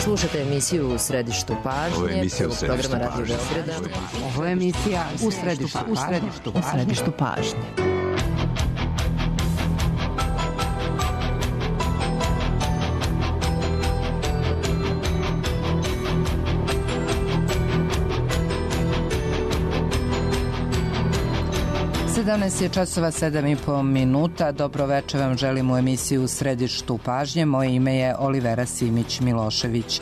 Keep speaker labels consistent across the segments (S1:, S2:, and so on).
S1: Slušate emisiju U središtu pažnje, programa Radio Beograda.
S2: Ovo je emisija U središtu pažnje. Danas je časova 7:30. Dobro večer vam želim u emisiju U središtu pažnje. Moje ime je Olivera Simić-Milošević.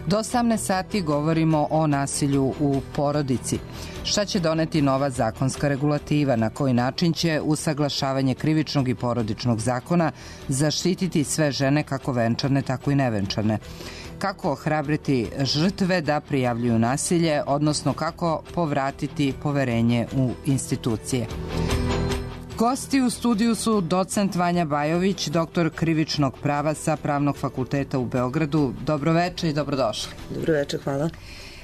S2: Do 18 sati govorimo o nasilju u porodici. Šta će doneti nova zakonska regulativa? Na koji način će usaglašavanje krivičnog i porodičnog zakona zaštititi sve žene, kako venčane, tako i nevenčane? Kako ohrabriti žrtve da prijavljuju nasilje, odnosno kako povratiti poverenje u institucije? Gosti u studiju su docent Vanja Bajović, doktor krivičnog prava sa Pravnog fakulteta u Beogradu. Dobroveče i dobrodošli.
S3: Dobroveče, hvala.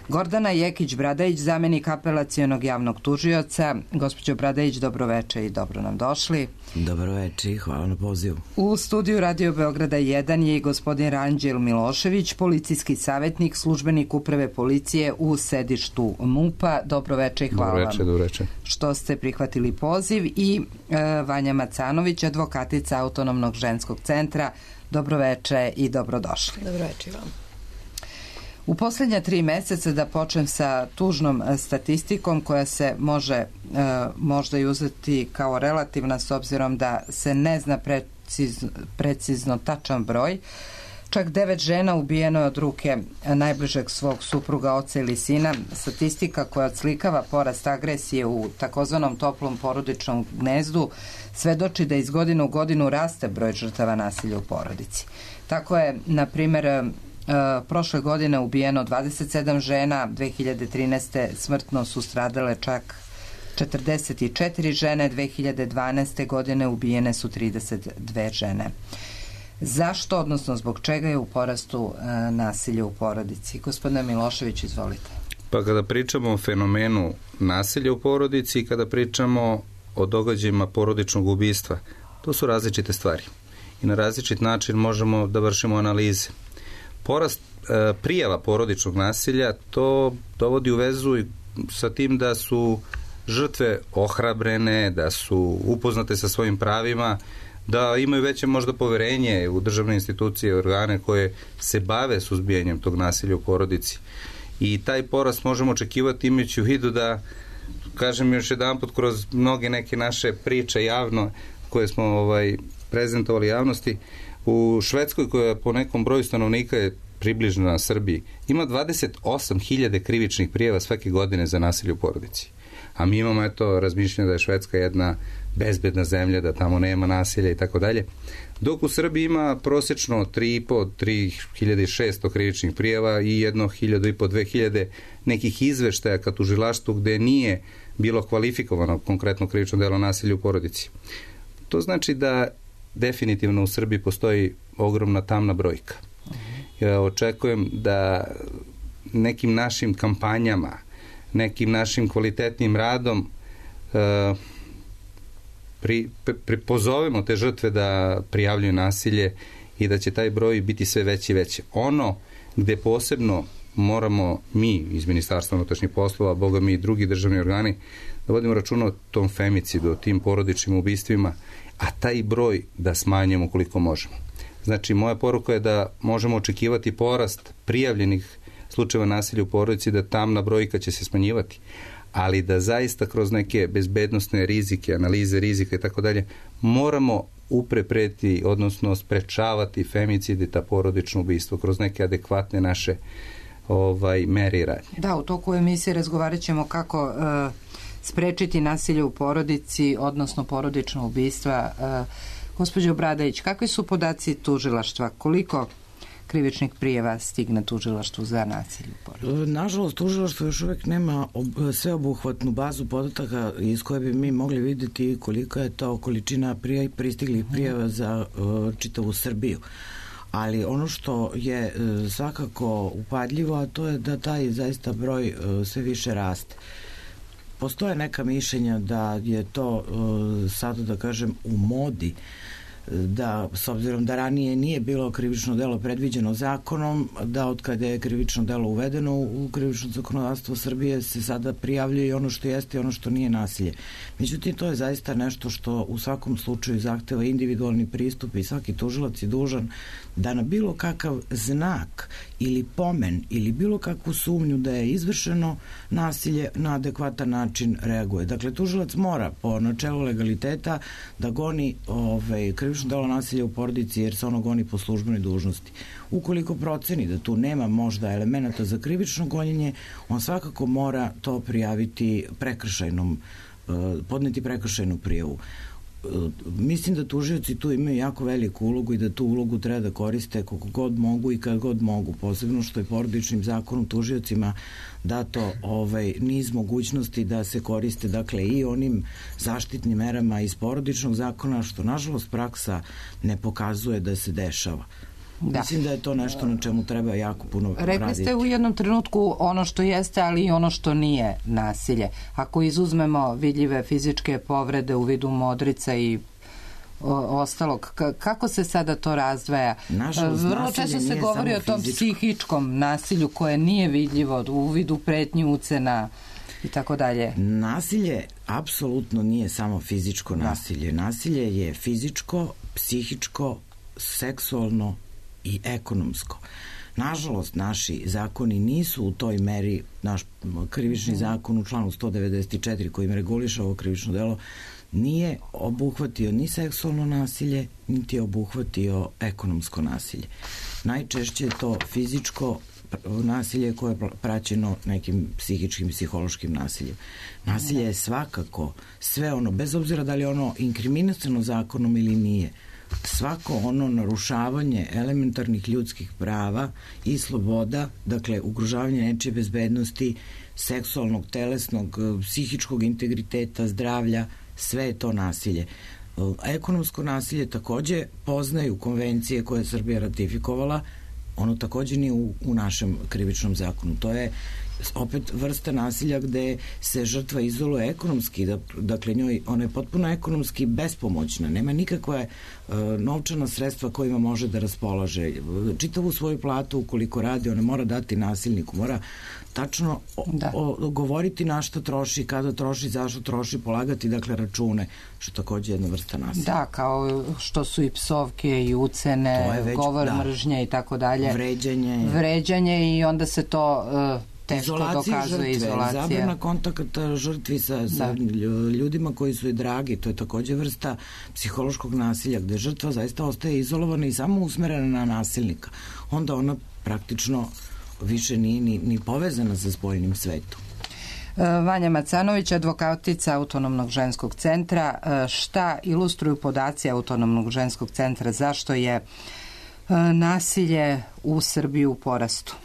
S2: Gordana Jekić-Bradajić, zamenik apelacionog javnog tužioca. Gospođo Bradajić, dobroveče i dobro nam došli.
S4: Dobroveče i hvala na pozivu.
S2: U studiju Radio Beograda 1 je i gospodin Ranđel Milošević, policijski savjetnik, službenik uprave policije u sedištu MUP-a. Dobroveče i hvala vam što ste prihvatili poziv. I Vanja Macanović, advokatica Autonomnog ženskog centra. Dobroveče i dobrodošli.
S3: Dobroveče i vam.
S2: U posljednja 3 meseca, da počnem sa tužnom statistikom koja se može možda i uzeti kao relativna s obzirom da se ne zna precizno tačan broj. Čak 9 žena ubijeno je od ruke najbližeg svog supruga, oca ili sina. Statistika koja odslikava porast agresije u takozvanom toplom porodičnom gnezdu svedoči da iz godine u godinu raste broj žrtava nasilja u porodici. Tako je, na primjer, prošle godine ubijeno 27 žena, 2013. smrtno su stradale čak 44 žene, 2012. godine ubijene su 32 žene. Zašto, odnosno zbog čega je u porastu nasilja u porodici? Gospodine Milošević, izvolite.
S5: Pa kada pričamo o fenomenu nasilja u porodici i kada pričamo o događajima porodičnog ubistva, to su različite stvari. I na različit način možemo da vršimo analize. Porast prijava porodičnog nasilja to dovodi u vezu sa tim da su žrtve ohrabrene, da su upoznate sa svojim pravima, da imaju veće možda poverenje u državne institucije i organe koje se bave suzbijanjem tog nasilja u porodici. I taj porast možemo očekivati imajući u vidu da, kažem još jedanput, kroz mnoge neke naše priče javno koje smo prezentovali javnosti, u Švedskoj, koja po nekom broju stanovnika je približena Srbiji, ima 28.000 krivičnih prijava svake godine za nasilje u porodici. A mi imamo razmišljanje da je Švedska jedna bezbedna zemlja, da tamo nema nasilja i tako dalje. Dok u Srbiji ima prosječno 3.600 krivičnih prijava i 1.500-2.000 nekih izveštaja ka tužilaštvu gde nije bilo kvalifikovano konkretno krivično delo nasilja u porodici. To znači da definitivno u Srbiji postoji ogromna tamna brojka. Ja očekujem da nekim našim kampanjama, nekim našim kvalitetnim radom pozovemo te žrtve da prijavljuju nasilje i da će taj broj biti sve veći i veći. Ono gde posebno moramo mi iz Ministarstva unutrašnjih poslova, boga mi i drugi državni organi, da vodimo računa o tom femicidu, o tim porodičnim ubistvima, a taj broj da smanjimo koliko možemo. Znači, moja poruka je da možemo očekivati porast prijavljenih slučajeva nasilja u porodici, da tamna brojka će se smanjivati, ali da zaista kroz neke bezbednosne rizike, analize rizika i tako dalje, moramo uprepreti, odnosno sprečavati femicid i ta porodično ubistvo kroz neke adekvatne naše mere i radnje.
S2: Da, u toku emisije razgovarat ćemo kako sprečiti nasilje u porodici, odnosno porodično ubistva. Gospođo Bradajić, kakvi su podaci tužilaštva? Koliko krivičnih prijava stigne tužilaštvu za nasilje u porodici?
S4: Nažalost, tužilaštvo još uvijek nema sveobuhvatnu bazu podataka iz koje bi mi mogli vidjeti kolika je to količina pristiglih prijava za čitavu Srbiju. Ali ono što je svakako upadljivo, a to je da taj zaista broj sve više raste. Postoje neka mišljenja da je to sada, da kažem, u modi da s obzirom da ranije nije bilo krivično delo predviđeno zakonom, da od kada je krivično delo uvedeno u krivično zakonodavstvo Srbije se sada prijavljuje i ono što jeste i ono što nije nasilje. Međutim, to je zaista nešto što u svakom slučaju zahteva individualni pristup i svaki tužilac je dužan da na bilo kakav znak ili pomen ili bilo kakvu sumnju da je izvršeno nasilje na adekvatan način reaguje. Dakle, tužilac mora po načelu legaliteta da goni krivično delo nasilja u porodici jer se ono goni po službenoj dužnosti. Ukoliko proceni da tu nema možda elemenata za krivično gonjenje, on svakako mora to prijaviti podneti prekršajnu prijavu. Mislim da tužioci tu imaju jako veliku ulogu i da tu ulogu treba da koriste koliko god mogu i kad god mogu, posebno što je porodičnim zakonom tužiocima dato niz mogućnosti da se koriste dakle i onim zaštitnim merama iz porodičnog zakona, što nažalost praksa ne pokazuje da se dešava. Da. Mislim da je to nešto na čemu treba jako puno raditi.
S2: Rekli ste u jednom trenutku ono što jeste, ali i ono što nije nasilje. Ako izuzmemo vidljive fizičke povrede u vidu modrica i ostalog, kako se sada to razdvaja? Vrlo često se govori o tom psihičkom nasilju koje nije vidljivo u vidu pretnji, ucena i tako dalje.
S4: Nasilje apsolutno nije samo fizičko nasilje. Nasilje je fizičko, psihičko, seksualno i ekonomsko. Nažalost, naši zakoni nisu u toj meri, naš krivični zakon u članu 194 kojim reguliše ovo krivično delo nije obuhvatio ni seksualno nasilje, niti je obuhvatio ekonomsko nasilje. Najčešće je to fizičko nasilje koje je praćeno nekim psihičkim, psihološkim nasiljem. Nasilje je svakako sve ono, bez obzira da li je ono inkriminirano zakonom ili nije, svako ono narušavanje elementarnih ljudskih prava i sloboda, dakle ugrožavanje nečije bezbednosti, seksualnog, telesnog, psihičkog integriteta, zdravlja, sve je to nasilje. Ekonomsko nasilje takođe poznaju konvencije koje je Srbija ratifikovala, ono takođe nije u našem krivičnom zakonu. To je opet vrsta nasilja gde se žrtva izoluje ekonomski, dakle ona je potpuno ekonomski bespomoćna, nema nikakve novčana sredstva kojima može da raspolaže. Čitavu svoju platu ukoliko radi, ona mora dati nasilniku, mora tačno govoriti na šta troši, kada troši, zašto troši, polagati dakle račune, što je takođe jedna vrsta nasilja.
S2: Da, kao što su i psovke i ucene, govor mržnje i tako dalje. Vređanje i onda se to teško dokazuje, izolacija.
S4: Zabrana kontakta žrtvi sa ljudima koji su je dragi, to je takođe vrsta psihološkog nasilja, gde žrtva zaista ostaje izolovana i samo usmerena na nasilnika. Onda ona praktično više nije ni povezana sa spoljnim svetom.
S2: Vanja Macanović, advokatica Autonomnog ženskog centra. Šta ilustruju podaci Autonomnog ženskog centra? Zašto je nasilje u Srbiji u porastu?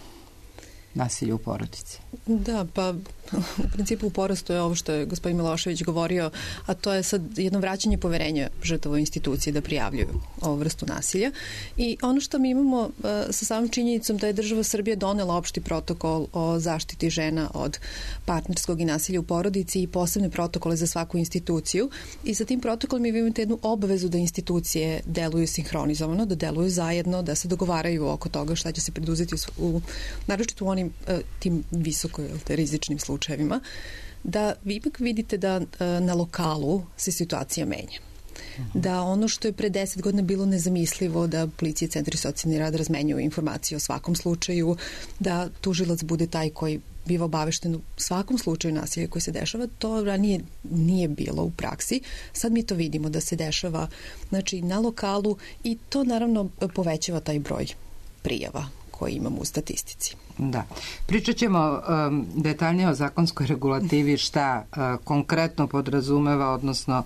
S2: Nasilje u porodici.
S3: Da, pa u principu u porastu je ovo što je gospodin Milošević govorio, a to je sad jedno vraćanje poverenja žrtava u institucije da prijavljuju ovu vrstu nasilja. I ono što mi imamo sa samom činjenicom da je država Srbije donela opšti protokol o zaštiti žena od partnerskog i nasilja u porodici i posebne protokole za svaku instituciju. I sa tim protokolom mi imate jednu obavezu da institucije deluju sinhronizovano, da deluju zajedno, da se dogovaraju oko toga šta će se preduzeti naročito u onim tim visoko rizičnim slučajevima, da vi ipak vidite da na lokalu se situacija menja. Da ono što je pre 10 godina bilo nezamislivo, da policija i centri socijalni rad razmenjuju informacije o svakom slučaju, da tužilac bude taj koji biva obavešten u svakom slučaju nasilja koji se dešava, to ranije nije bilo u praksi. Sad mi to vidimo da se dešava na lokalu i to naravno povećava taj broj prijava koje imamo u statistici.
S2: Da. Pričat ćemo detaljnije o zakonskoj regulativi, šta konkretno podrazumeva, odnosno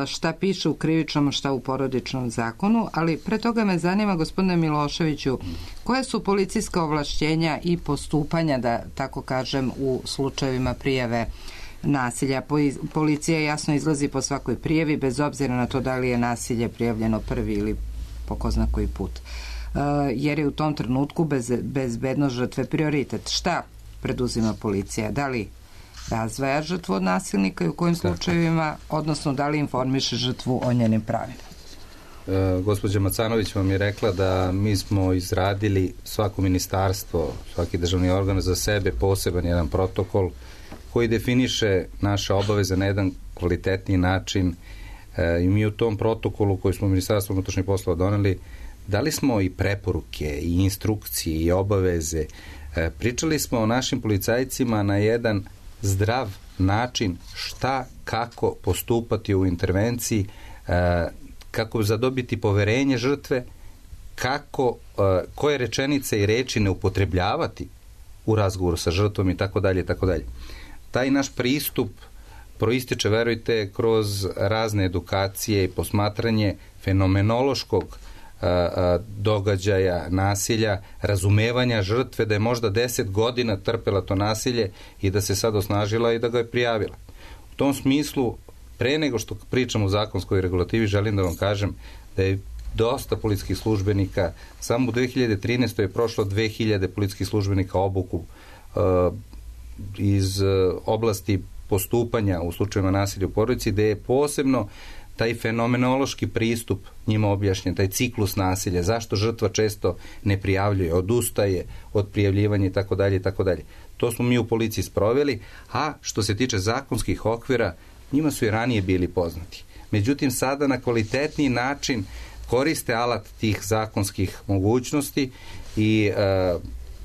S2: šta piše u krivičnom, šta u porodičnom zakonu, ali pre toga me zanima, gospodine Miloševiću, koje su policijska ovlašćenja i postupanja, da tako kažem, u slučajevima prijave nasilja? Policija jasno izlazi po svakoj prijavi, bez obzira na to da li je nasilje prijavljeno prvi ili po ko zna koji put. Jer je u tom trenutku bezbednost žrtve prioritet. Šta preduzima policija? Da li razdvaja žrtvu od nasilnika i u kojim slučajevima, odnosno da li informiše žrtvu o njenim pravima?
S5: gospođa Macanović vam je rekla da mi smo izradili, svako ministarstvo, svaki državni organ za sebe poseban jedan protokol koji definiše naše obaveze na jedan kvalitetniji način i mi u tom protokolu koji smo u Ministarstvu unutrašnjih poslova doneli dali smo i preporuke i instrukcije i obaveze. Pričali smo o našim policajcima na jedan zdrav način šta, kako postupati u intervenciji, kako zadobiti poverenje žrtve, kako, koje rečenice i reči ne upotrebljavati u razgovoru sa žrtvom i tako dalje, tako dalje. Taj naš pristup proističe, verujte, kroz razne edukacije i posmatranje fenomenološkog događaja, nasilja, razumevanja žrtve da je možda 10 godina trpela to nasilje i da se sad osnažila i da ga je prijavila. U tom smislu, pre nego što pričam o zakonskoj regulativi, želim da vam kažem da je dosta policijskih službenika, samo u 2013. je prošlo 2000 policijskih službenika obuku iz oblasti postupanja u slučajevima nasilja u porodici, gde je posebno taj fenomenološki pristup njima objašnjen, taj ciklus nasilja, zašto žrtva često ne prijavljuje, odustaje od prijavljivanja i tako dalje i tako dalje. To smo mi u policiji sproveli, a što se tiče zakonskih okvira, njima su i ranije bili poznati. Međutim, sada na kvalitetniji način koriste alat tih zakonskih mogućnosti i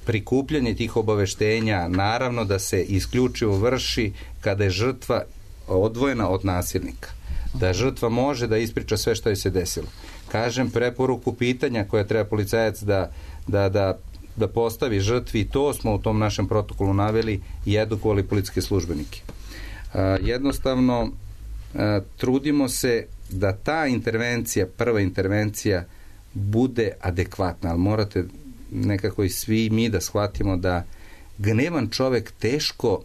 S5: prikupljanje tih obaveštenja, naravno da se isključivo vrši kada je žrtva odvojena od nasilnika. Da žrtva može da ispriča sve što je se desilo. Kažem, preporuku pitanja koje treba policajac da postavi žrtvi, to smo u tom našem protokolu naveli i edukovali policijske službenike. Jednostavno, trudimo se da ta intervencija, prva intervencija, bude adekvatna, ali morate nekako i svi mi da shvatimo da gnevan čovek teško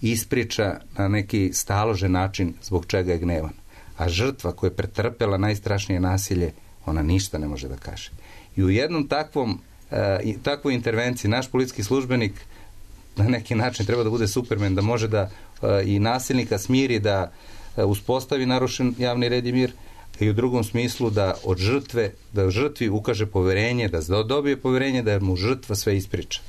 S5: ispriča na neki staložen način zbog čega je gnevan. A žrtva koja je pretrpela najstrašnije nasilje, ona ništa ne može da kaže. I u jednom takvoj intervenciji naš policijski službenik na neki način treba da bude Superman, da može da i nasilnika smiri, da uspostavi narušen javni red i mir, i u drugom smislu da od žrtve, da žrtvi ukaže poverenje, da dobije poverenje, da mu žrtva sve ispriča.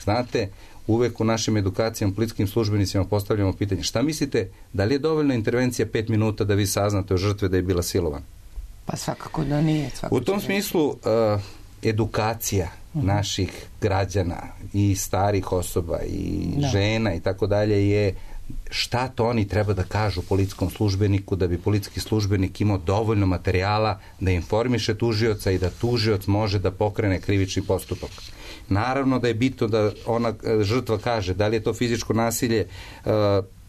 S5: Znate, uvek u našim edukacijama policijskim službenicima postavljamo pitanje, šta mislite, da li je dovoljna intervencija 5 minuta da vi saznate o žrtve da je bila silovana?
S2: Pa svakako da nije.
S5: U tom smislu edukacija naših građana i starih osoba i žena i tako dalje je šta to oni treba da kažu policijskom službeniku da bi policijski službenik imao dovoljno materijala da informiše tužioca i da tužioc može da pokrene krivični postupak. Naravno da je bitno da ona žrtva kaže da li je to fizičko nasilje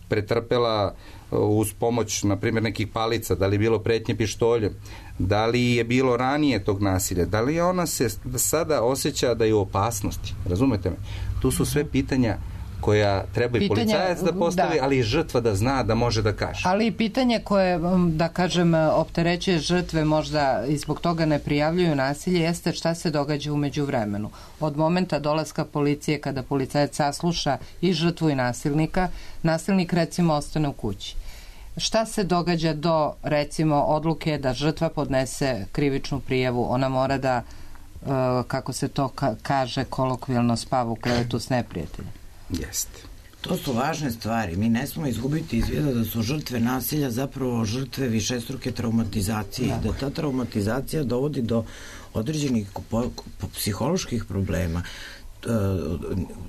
S5: pretrpela uz pomoć, na primjer, nekih palica, da li je bilo pretnje pištoljem, da li je bilo ranije tog nasilja, da li ona se sada osjeća da je u opasnosti. Razumete me? Tu su sve pitanja koja treba i policajac da postavi, ali i žrtva da zna da može da kaže.
S2: Ali i pitanje koje, da kažem, opterećuje žrtve, možda i zbog toga ne prijavljuju nasilje, jeste šta se događa u međuvremenu. Od momenta dolaska policije, kada policajac sasluša i žrtvu i nasilnika, nasilnik recimo ostane u kući. Šta se događa do, recimo, odluke da žrtva podnese krivičnu prijavu? Ona mora da, kako se to kaže kolokvijalno, spava u krevetu s neprijateljem.
S5: Jeste.
S4: To su važne stvari. Mi ne smemo izgubiti iz vida da su žrtve nasilja zapravo žrtve višestruke traumatizacije. Da ta traumatizacija dovodi do određenih psiholoških problema.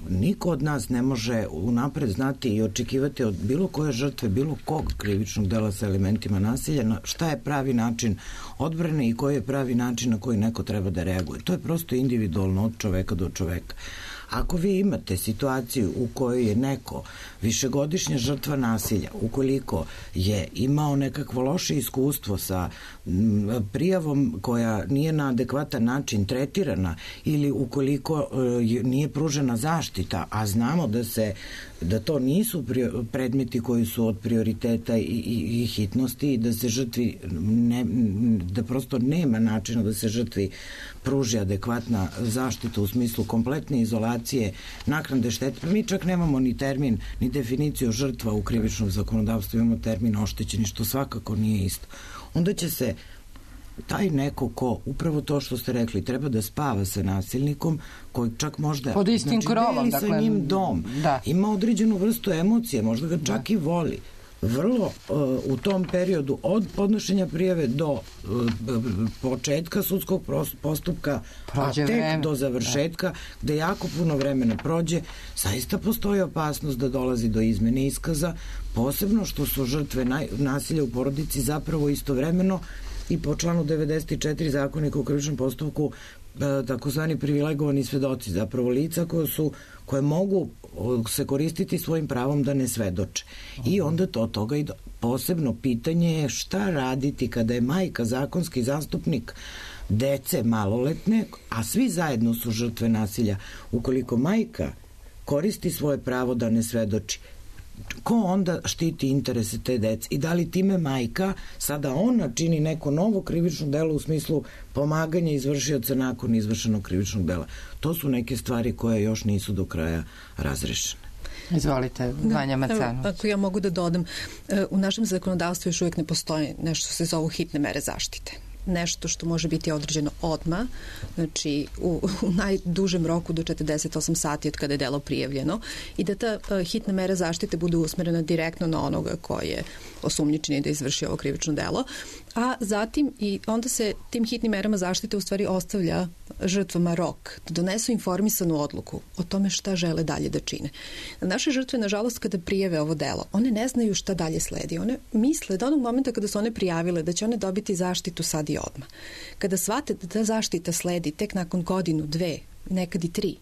S4: Niko od nas ne može unapred znati i očekivati od bilo koje žrtve, bilo kog krivičnog dela sa elementima nasilja, šta je pravi način odbrane i koji je pravi način na koji neko treba da reaguje. To je prosto individualno od čoveka do čoveka. Ako vi imate situaciju u kojoj je neko višegodišnja žrtva nasilja, ukoliko je imao nekakvo loše iskustvo sa prijavom koja nije na adekvatan način tretirana ili ukoliko nije pružena zaštita, a znamo da to nisu predmeti koji su od prioriteta i hitnosti i da se žrtvi da prosto nema načina da se žrtvi pruži adekvatna zaštita u smislu kompletne izolacije, naknade štete. Pa mi čak nemamo ni termin, ni definiciju žrtva u krivičnom zakonodavstvu, imamo termin oštećeni, što svakako nije isto. Onda će se taj neko ko, upravo to što ste rekli, treba da spava sa nasilnikom, koji čak možda
S2: pod istim krovom,
S4: deli sa njim dom, ima određenu vrstu emocije, možda ga čak i voli. Vrlo u tom periodu od podnošenja prijave do početka sudskog postupka, a tek do završetka, gde jako puno vremena prođe, zaista postoji opasnost da dolazi do izmene iskaza, posebno što su žrtve nasilja u porodici zapravo istovremeno i po članu 94 Zakonika o krivičnom postupku takozvani privilegovani svedoci, zapravo lica koje mogu se koristiti svojim pravom da ne svedoče. I onda od toga i posebno pitanje je šta raditi kada je majka zakonski zastupnik dece maloletne, a svi zajedno su žrtve nasilja. Ukoliko majka koristi svoje pravo da ne svedoči, ko onda štiti interese te dece i da li time majka sada ona čini neko novo krivično delo u smislu pomaganja izvršioca nakon izvršenog krivičnog dela. To su neke stvari koje još nisu do kraja razrešene.
S2: Izvolite, Vanja Macanović.
S3: Ako ja mogu da dodam, u našem zakonodavstvu još uvijek ne postoji nešto što se zovu hitne mere zaštite. Nešto što može biti određeno odmah, znači u najdužem roku do 48 sati od kada je delo prijavljeno i da ta hitna mera zaštite bude usmerena direktno na onoga koji je osumnjičen da izvrši ovo krivično delo, a zatim i onda se tim hitnim merama zaštite u stvari ostavlja žrtvama rok da donesu informisanu odluku o tome šta žele dalje da čine. Naše žrtve, nažalost, kada prijave ovo delo, one ne znaju šta dalje sledi. One misle da onog momenta kada su one prijavile da će one dobiti zaštitu sad i odmah. Kada shvate da ta zaštita sledi tek nakon godinu, 2, nekad i 3,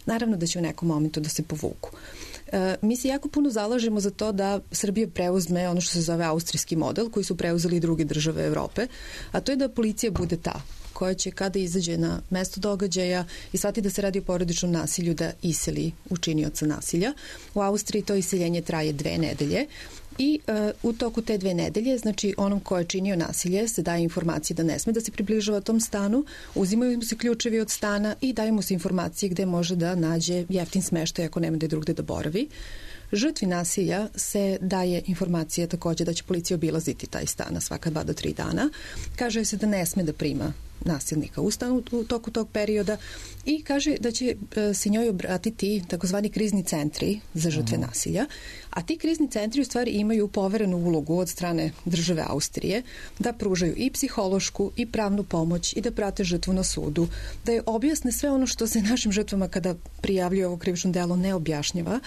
S3: naravno da će u nekom momentu da se povuku. Mi se jako puno zalažemo za to da Srbija preuzme ono što se zove austrijski model, koji su preuzeli i druge države Evrope, a to je da policija bude ta koja će kada izađe na mesto događaja i shvati da se radi o porodičnom nasilju da iseli učinioca nasilja. U Austriji to iseljenje traje 2 nedelje i u toku te 2 nedelje, znači onom ko je činio nasilje se daje informacije da ne sme da se približava tom stanu, uzimaju mu se ključevi od stana i daju mu se informacije gde može da nađe jeftin smeštaj ako nema da je drugde da boravi. Žrtvi nasilja se daje informacija takođe da će policija obilaziti taj stan svaka 2 do 3 dana. Kaže se da ne sme da prima nasilnika u stanu u toku tog perioda i kaže da će se njoj obratiti takozvani krizni centri za žrtve nasilja, a ti krizni centri u stvari imaju poverenu ulogu od strane države Austrije da pružaju i psihološku i pravnu pomoć i da prate žrtvu na sudu, da je objasne sve ono što se našim žrtvama kada prijavljuju ovo krivično delo ne objašnjava.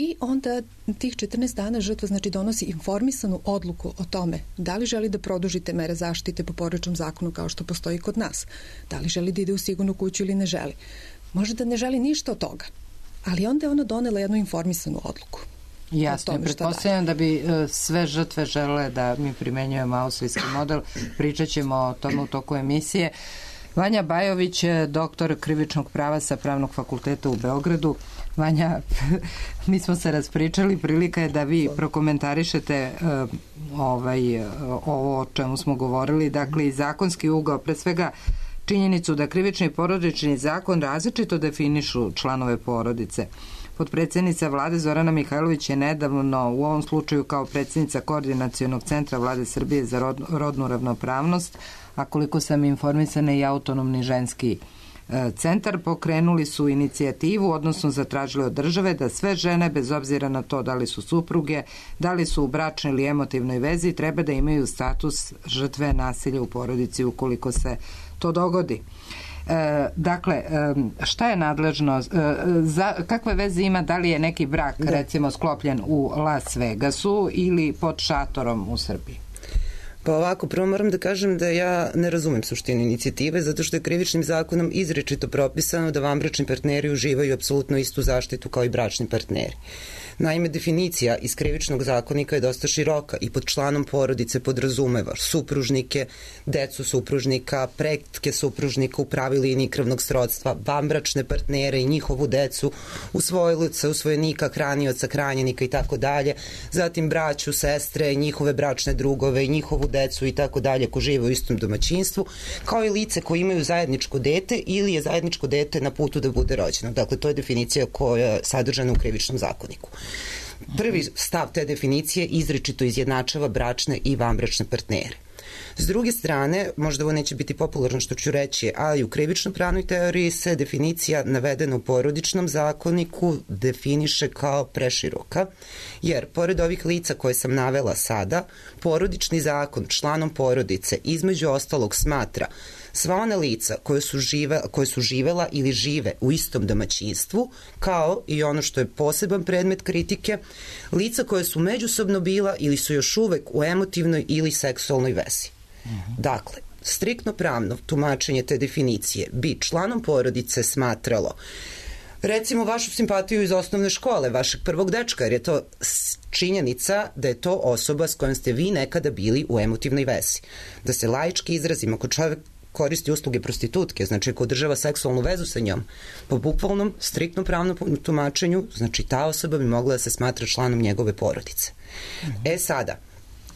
S3: I onda tih 14 dana žrtva znači donosi informisanu odluku o tome da li želi da produžite mere zaštite po porodičnom zakonu kao što postoji kod nas, da li želi da ide u sigurnu kuću ili ne želi. Može da ne želi ništa od toga, ali onda je ona donela jednu informisanu odluku.
S2: Jasno, pretpostavljam da bi sve žrtve žele da mi primenjujemo austrijski model, pričat ćemo o tome u toku emisije. Vanja Bajović, doktor krivičnog prava sa Pravnog fakulteta u Beogradu. Vanja, mi smo se raspričali, prilika je da vi prokomentarišete ovo o čemu smo govorili, dakle i zakonski ugao, pre svega činjenicu da krivični i porodični zakon različito definišu članove porodice. Potpredsjednica vlade Zorana Mihajlović je nedavno, u ovom slučaju kao predsjednica Koordinacionog centra Vlade Srbije za rodnu ravnopravnost, a koliko sam informisana i autonomni ženski centar, pokrenuli su inicijativu, odnosno zatražili od države da sve žene, bez obzira na to da li su supruge, da li su u bračnoj ili emotivnoj vezi, treba da imaju status žrtve nasilja u porodici ukoliko se to dogodi. Dakle, šta je nadležno, kakve veze ima da li je neki brak recimo sklopljen u Las Vegasu ili pod šatorom u Srbiji?
S6: Pa ovako, prvo moram da kažem da ja ne razumem suštinu inicijative, zato što je krivičnim zakonom izričito propisano da vanbračni partneri uživaju apsolutno istu zaštitu kao i bračni partneri. Naime, definicija iz krivičnog zakonika je dosta široka i pod članom porodice podrazumeva supružnike, decu supružnika, pretke supružnika u pravi liniji krvnog srodstva, vanbračne partnere i njihovu decu, usvojilica, usvojenika, hranioca, hranjenika i tako dalje, zatim braću, sestre, njihove bračne drugove i njihovu decu i tako dalje ko žive u istom domaćinstvu, kao i lice koji imaju zajedničko dete ili je zajedničko dete na putu da bude rođeno. Dakle, to je definicija koja je sadržana u krivičnom zakoniku. Prvi stav te definicije izričito izjednačava bračne i vanbračne partnere. S druge strane, možda ovo neće biti popularno što ću reći, ali u krivično-pravnoj teoriji se definicija navedena u porodičnom zakoniku definiše kao preširoka, jer pored ovih lica koje sam navela sada, porodični zakon članom porodice između ostalog smatra sva ona lica koje su živela ili žive u istom domaćinstvu, kao i ono što je poseban predmet kritike, lica koje su međusobno bila ili su još uvek u emotivnoj ili seksualnoj vezi. Dakle, striktno pravno tumačenje te definicije bi članom porodice smatralo recimo vašu simpatiju iz osnovne škole, vašeg prvog dečka, jer je to činjenica da je to osoba s kojom ste vi nekada bili u emotivnoj vezi. Da se laički izrazimo, ako čovjek koristi usluge prostitutke, znači ako održava seksualnu vezu sa njom, po bukvalnom, striktno pravnom tumačenju, znači ta osoba bi mogla da se smatra članom njegove porodice. Sada,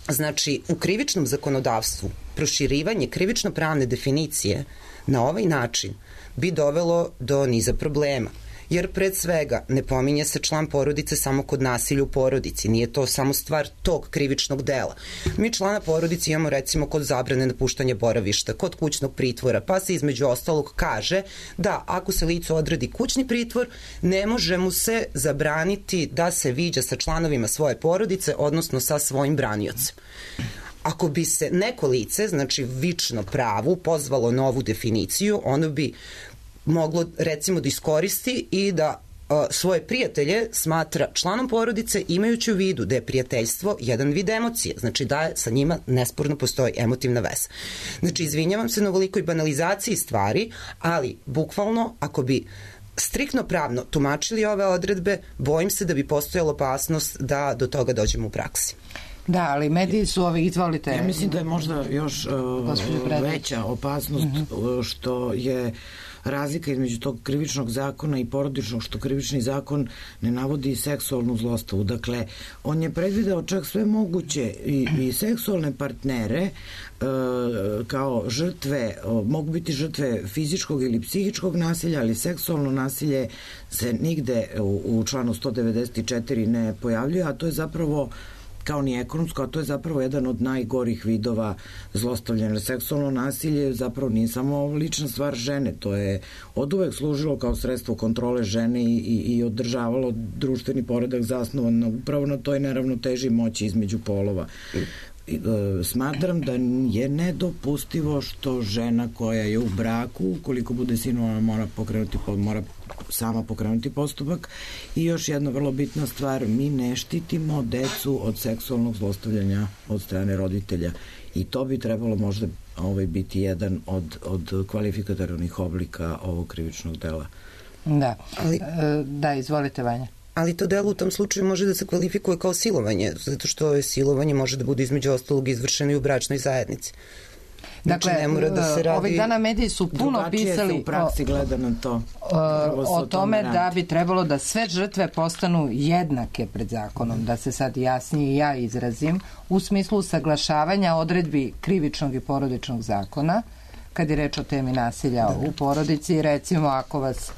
S6: znači u krivičnom zakonodavstvu proširivanje krivično-pravne definicije na ovaj način bi dovelo do niza problema. Jer pred svega ne pominje se član porodice samo kod nasilja u porodici, nije to samo stvar tog krivičnog dela. Mi člana porodice imamo recimo kod zabrane napuštanja boravišta, kod kućnog pritvora, pa se između ostalog kaže da ako se licu odredi kućni pritvor, ne može mu se zabraniti da se viđa sa članovima svoje porodice, odnosno sa svojim braniocem. Ako bi se neko lice, znači vično pravu, pozvalo novu definiciju, ono bi moglo recimo da iskoristi i da svoje prijatelje smatra članom porodice, imajući u vidu da je prijateljstvo jedan vid emocije, znači da sa njima nesporno postoji emotivna veza. Znači, izvinjavam se na ovolikoj banalizaciji stvari, ali bukvalno ako bi striktno pravno tumačili ove odredbe, bojim se da bi postojala opasnost da do toga dođemo u praksi.
S2: Da, ali mediji su izvolite.
S4: Ja mislim da je možda još veća opasnost što je razlika između tog krivičnog zakona i porodičnog, što krivični zakon ne navodi seksualnu zlostavu. Dakle, on je predvideo čak sve moguće i seksualne partnere kao žrtve, mogu biti žrtve fizičkog ili psihičkog nasilja, ali seksualno nasilje se nigde u članu 194 ne pojavljuje, a to je zapravo kao ni ekonomsko, a to je zapravo jedan od najgorih vidova zlostavljanja. Seksualno nasilje zapravo nije samo lična stvar žene, to je oduvek služilo kao sredstvo kontrole žene i održavalo društveni poredak zasnovan upravo na toj neravnoteži moći između polova. Smatram da je nedopustivo što žena koja je u braku, ukoliko bude sinovana, mora sama pokrenuti postupak. I još jedna vrlo bitna stvar, mi ne štitimo decu od seksualnog zlostavljanja od strane roditelja i to bi trebalo možda biti jedan od kvalifikatornih oblika ovog krivičnog dela.
S2: Da, da, izvolite Vanja.
S6: Ali to delo u tom slučaju može da se kvalifikuje kao silovanje, zato što je silovanje može da bude između ostalog izvršeno i u bračnoj zajednici.
S2: Dakle, ovih dana mediji su puno pisali
S4: u praksi gleda na to.
S2: O tome da bi trebalo da sve žrtve postanu jednake pred zakonom, da se sad jasnije ja izrazim, u smislu usaglašavanja odredbi krivičnog i porodičnog zakona, kad je reč o temi nasilja u porodici, recimo ako vas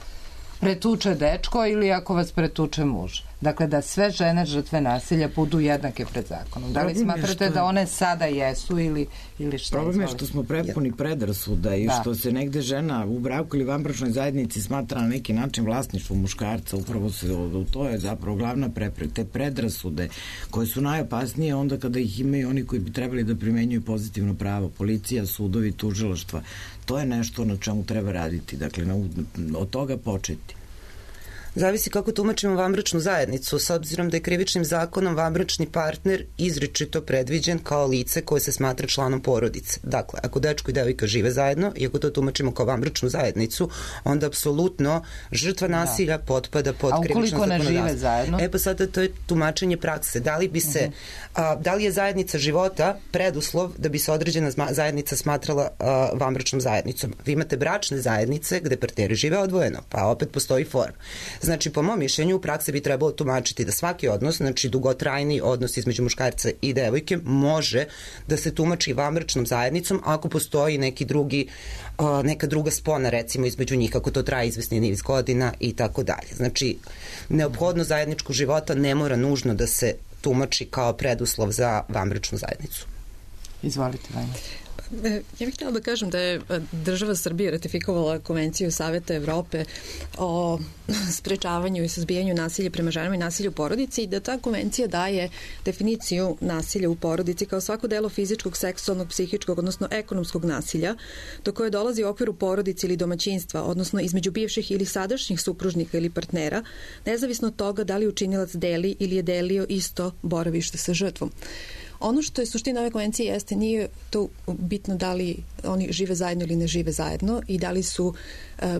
S2: pretuče dečko ili ako vas pretuče muž. Dakle, da sve žene žrtve nasilja budu jednake pred zakonom. Da li smatrate da one sada jesu ili šta?
S4: Problem je što smo prepuni predrasuda i što se negde žena u braku ili vanbračnoj zajednici smatra na neki način vlasništvo muškarca. Upravo to je zapravo glavna prepreka. Te predrasude koje su najopasnije onda kada ih imaju oni koji bi trebali da primenjuju pozitivno pravo. Policija, sudovi, tužilaštva. To je nešto na čemu treba raditi. Dakle, od toga početi.
S6: Zavisi kako tumačimo vanbračnu zajednicu, s obzirom da je krivičnim zakonom vanbračni partner izričito predviđen kao lice koje se smatra članom porodice. Dakle, ako dečko i devojka žive zajedno i ako to tumačimo kao vanbračnu zajednicu, onda apsolutno žrtva nasilja potpada pod krivično zakonodavstvo. A ukoliko ne žive zajedno? Pa sada to je tumačenje prakse. Da li je zajednica života preduslov da bi se određena zajednica smatrala vanbračnom zajednicom? Vi imate bračne zajednice gde partneri žive odvojeno, pa opet postoji forma. Znači, po mom mišljenju, u praksi bi trebalo tumačiti da svaki odnos, znači dugotrajni odnos između muškarca i devojke, može da se tumači vanbračnom zajednicom ako postoji neka druga spona, recimo, između njih, ako to traje izvesni niz godina i tako dalje. Znači, neophodnost zajedničkog života ne mora nužno da se tumači kao preduslov za vanbračnu zajednicu.
S2: Izvolite, Vanja.
S3: Ja bih htjela da kažem da je država Srbije ratifikovala Konvenciju Saveta Evrope o sprečavanju i suzbijanju nasilja prema ženama i nasilja u porodici i da ta konvencija daje definiciju nasilja u porodici kao svako delo fizičkog, seksualnog, psihičkog, odnosno ekonomskog nasilja do koje dolazi u okviru porodice ili domaćinstva, odnosno između bivših ili sadašnjih supružnika ili partnera, nezavisno od toga da li učinilac deli ili je delio isto boravište sa žrtvom. Ono što je suština ove konvencije jeste, nije to bitno da li oni žive zajedno ili ne žive zajedno i da li su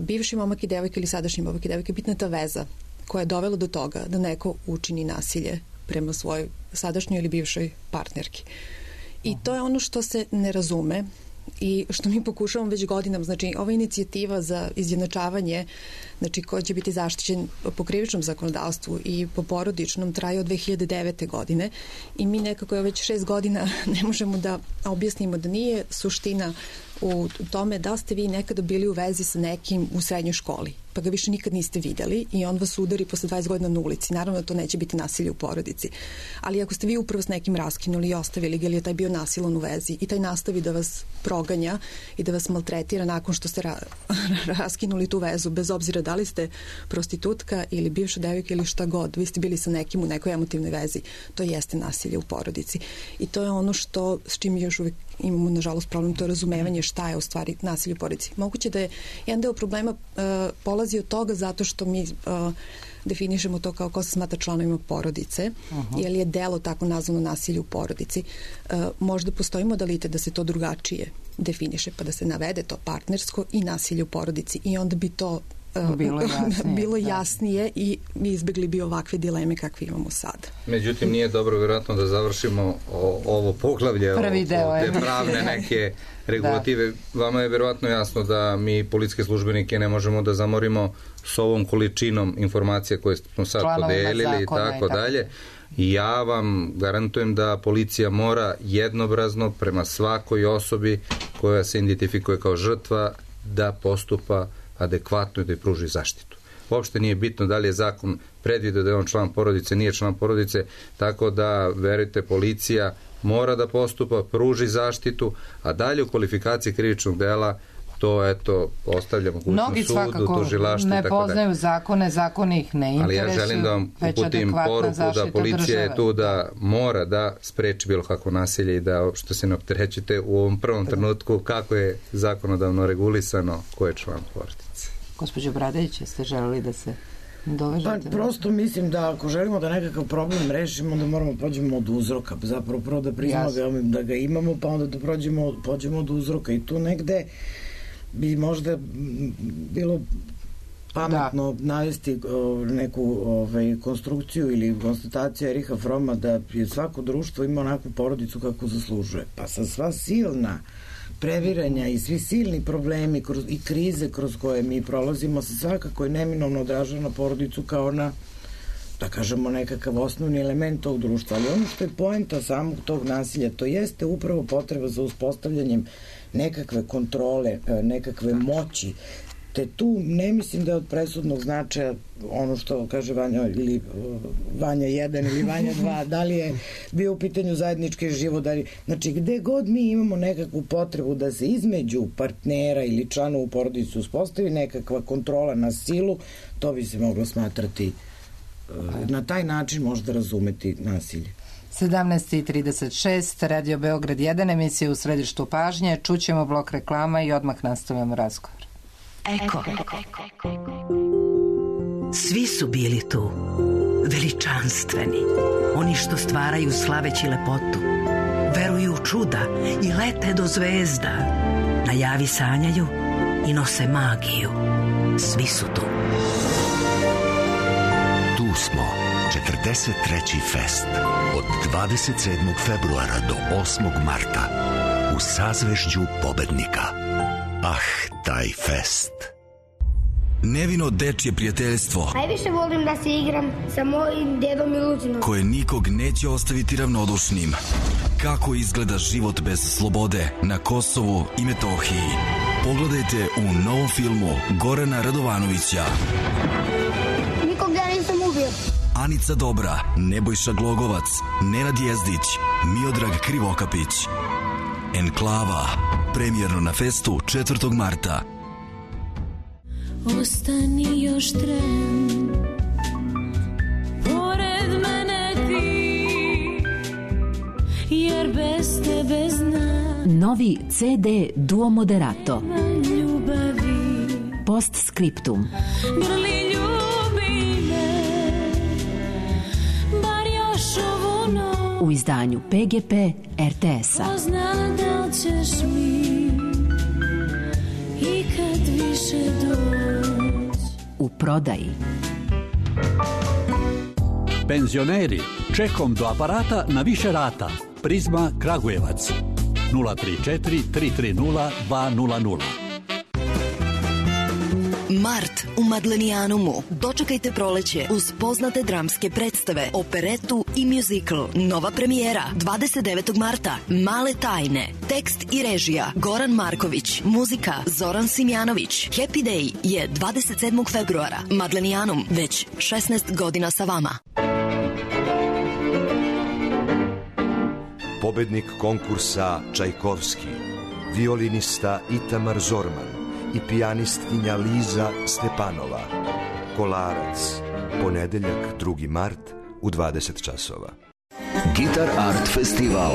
S3: bivši momak i devojka ili sadašnji momak i devojka, bitna je ta veza koja je dovela do toga da neko učini nasilje prema svojoj sadašnjoj ili bivšoj partnerki. I to je ono što se ne razume i što mi pokušavamo već godinama. Znači, ova inicijativa za izjednačavanje, znači, koja će biti zaštićen po krivičnom zakonodavstvu i po porodičnom, traje od 2009. godine i mi nekako već 6 godina ne možemo da objasnimo da nije suština u tome da ste vi nekada bili u vezi sa nekim u srednjoj školi, pa ga više nikad niste videli i on vas udari posle 20 godina na ulici. Naravno da to neće biti nasilje u porodici. Ali ako ste vi upravo s nekim raskinuli i ostavili ga ili je taj bio nasilan u vezi i taj nastavi da vas proganja i da vas maltretira nakon što ste raskinuli tu vezu, bez obzira da li ste prostitutka ili bivša devojka ili šta god, vi ste bili sa nekim u nekoj emotivnoj vezi, to jeste nasilje u porodici. I to je ono što, s čim još uvijek imamo, nažalost, problem, to je razumevanje šta je u stvari nasilje u porodici. Moguće da je jedan deo problema polazi od toga zato što mi definišemo to kao ko se smatra članovima porodice, jer je delo tako nazvano nasilje u porodici. Možda postoji modalitet da se to drugačije definiše, pa da se navede to partnersko i nasilje u porodici i onda bi to bilo jasnije i mi izbjegli bi ovakve dileme kakve imamo sad.
S5: Međutim, nije dobro vjerojatno da završimo ovo poglavlje, te pravne neke regulative. Vama je vjerojatno jasno da mi policijske službenike ne možemo da zamorimo s ovom količinom informacija koje smo sad podelili i tako dalje. I ja vam garantujem da policija mora jednobrazno prema svakoj osobi koja se identifikuje kao žrtva da postupa adekvatno i da je pruži zaštitu. Uopšte nije bitno da li je zakon predvidio da je on član porodice, nije član porodice, tako da, verujte, policija mora da postupa, pruži zaštitu, a dalje u kvalifikaciji krivičnog dela to, eto, ostavlja mogućnost sudu, tužilaštvu i tako dalje.
S2: Ne poznaju zakone, zakoni ih ne interesuju.
S5: Ali ja želim da vam uputim poruku da policija je tu da mora da spreči bilo kakvo nasilje i da uopšte se ne opterećite u ovom prvom trenutku kako je zakonodavno regulisano ko je član porodice.
S2: Gospođo Bradović, jeste želeli da se dovežete?
S4: Pa prosto mislim da ako želimo da nekakav problem rešimo, onda moramo pođemo od uzroka. Zapravo prvo da priznamo da ga imamo, pa onda da pođemo od uzroka i tu negde bi možda bilo pametno navesti neku konstrukciju ili konstataciju Eriha Froma da je svako društvo ima onakvu porodicu kako zaslužuje. Pa sa sva silna previranja i svi silni problemi i krize kroz koje mi prolazimo se svakako je neminovno odražava na porodicu kao na, da kažemo, nekakav osnovni element tog društva. Ali ono što je poenta samog tog nasilja, to jeste upravo potreba za uspostavljanjem nekakve kontrole, nekakve moći, te tu ne mislim da je od presudnog značaja ono što kaže Vanja ili Vanja 1 ili Vanja 2, da li je bio u pitanju zajednički život, znači gde god mi imamo nekakvu potrebu da se između partnera ili članova u porodici uspostavi nekakva kontrola na silu, to bi se moglo smatrati na taj način možda razumeti nasilje.
S2: 17:36, Radio Beograd 1, emisija U središtu pažnje, čućemo blok reklama i odmah nastavljamo razgovor.
S7: Eko. Svi su bili tu, veličanstveni, oni što stvaraju slaveći lepotu, veruju u čuda i lete do zvezda, na javi sanjaju i nose magiju. Svi su tu.
S8: Tu smo, 43. fest, od 27. februara do 8. marta, u sazvežđu pobednika. Taj fest.
S9: Nevino dečje prijateljstvo.
S10: Najviše volim da se igram sa mojim dedom i Lucinom.
S9: Koje nikog neće ostaviti ravnodušnim. Kako izgleda život bez slobode na Kosovu i Metohiji. Pogledajte u novom filmu Gorana Radovanovića.
S10: Nikog ja nisam ubio.
S9: Anica Dobra, Nebojša Glogovac, Nenad Jezdić, Miodrag Krivokapić. Enklava. Premijerno na festu 4. marta.
S11: Ostani još tren, pored mene ti, jer bez tebe znam.
S12: Novi CD Duo Moderato.
S11: Ljubavi.
S12: Postscriptum.
S11: Grli ljubi me, bar još ovu noć.
S12: U izdanju PGP RTS-a.
S11: Pozna da ćeš mi i kad više doć.
S12: U prodaji.
S13: Penzioneri, čekom do aparata na više rata. Prizma Kragujevac 034 330 200.
S14: Mart u Madlenijanumu. Dočekajte proleće uz poznate dramske predstave, operetu i muzikl. Nova premijera 29. marta. Male tajne. Tekst i režija Goran Marković. Muzika Zoran Simjanović. Happy Day je 27. februara. Madlenijanum već 16 godina sa vama.
S15: Pobednik konkursa Čajkovski, violinista Itamar Zorman i pijanistkinja Liza Stepanova. Kolarac, ponedeljak 2. mart u 20 časova.
S16: Gitar Art Festival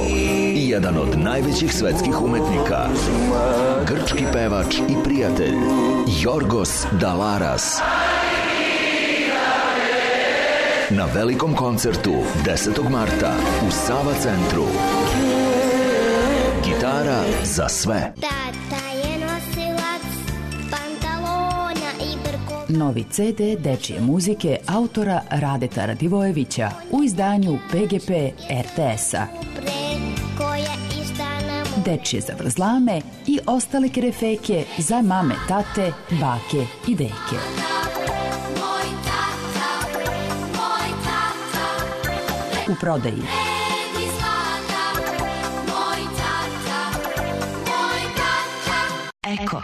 S16: i jedan od najvećih svetskih umetnika, grčki pevač i prijatelj Jorgos Dalaras na velikom koncertu 10. marta u Sava centru. Gitara za sve.
S12: Novi CD dečije muzike autora Radeta Radivojevića u izdanju PGP RTS-a. Dečije zavrzlame i ostale kerefeke za mame, tate, bake i deke. U prodaji.
S14: Eko.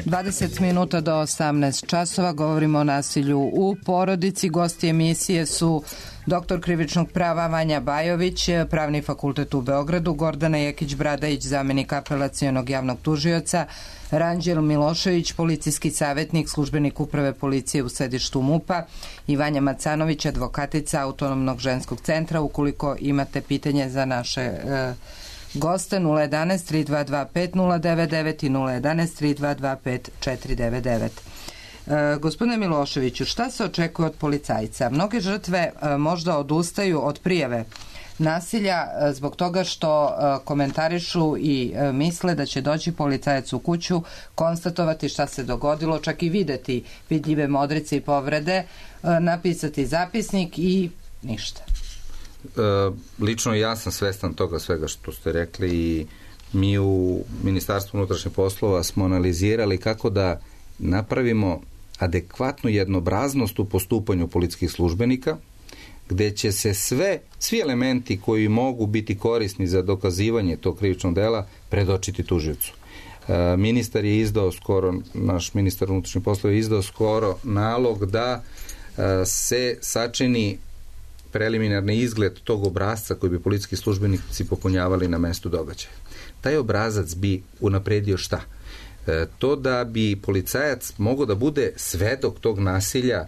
S2: 20 minuta do 18 časova govorimo o nasilju u porodici. Gosti emisije su doktor krivičnog prava Vanja Bajović, Pravni fakultet u Beogradu, Gordana Jekić-Bradajić, zamenik apelacionog javnog tužioca, Ranđel Milošević, policijski savjetnik, službenik uprave policije u sedištu MUP-a i Vanja Macanović, advokatica Autonomnog ženskog centra. Ukoliko imate pitanje za naše goste, 011 322 5099 i 011 322 5499. Gospodine Miloševiću, šta se očekuje od policajca? Mnoge žrtve možda odustaju od prijave nasilja zbog toga što komentarišu i misle da će doći policajac u kuću, konstatovati šta se dogodilo, čak i videti vidljive modrice i povrede, napisati zapisnik i ništa.
S5: Lično ja sam svestan toga svega što ste rekli i mi u Ministarstvu unutrašnjih poslova smo analizirali kako da napravimo adekvatnu jednobraznost u postupanju policijskih službenika, gde će se svi elementi koji mogu biti korisni za dokazivanje tog krivičnog dela predočiti tužiocu. Ministar je izdao skoro, naš ministar unutrašnjih poslova je izdao skoro nalog da se sačini preliminarni izgled tog obrasca koji bi policijski službenici popunjavali na mestu događaja. Taj obrazac bi unapredio šta? To da bi policajac mogao da bude svedok tog nasilja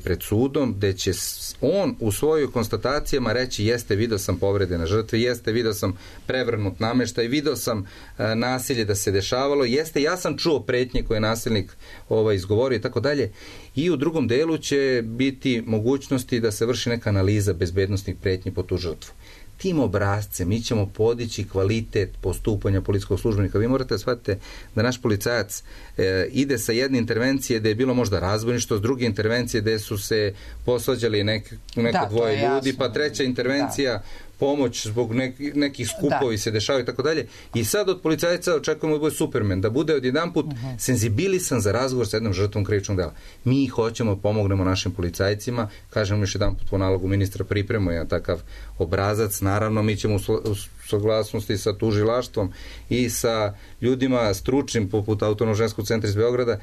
S5: pred sudom, gde će on u svojoj konstatacijama reći jeste, video sam povrede na žrtve, jeste, video sam prevrnut nameštaj, video sam nasilje da se dešavalo, jeste, ja sam čuo pretnje koje je nasilnik izgovorio i tako dalje. I u drugom delu će biti mogućnosti da se vrši neka analiza bezbednostnih pretnji po tu žrtvu. Tim obrazcem mi ćemo podići kvalitet postupanja policijskog službenika. Vi morate shvatiti da naš policajac ide sa jedne intervencije gde je bilo možda razbojništvo, s druge intervencije gde su se posvađali neko dvoje ljudi, pa treća intervencija pomoć zbog nekih skupovi se dešavaju i tako dalje. I sad od policajca očekujemo da bude Superman, da bude odjedanput senzibilisan za razgovor sa jednom žrtvom krivičnog dela. Mi hoćemo da pomognemo našim policajcima, kažemo još jedanput po nalogu ministra pripremamo jedan takav obrazac, naravno mi ćemo u saglasnosti sa tužilaštvom i sa ljudima stručnim poput Autonomnog ženskog centra iz Beograda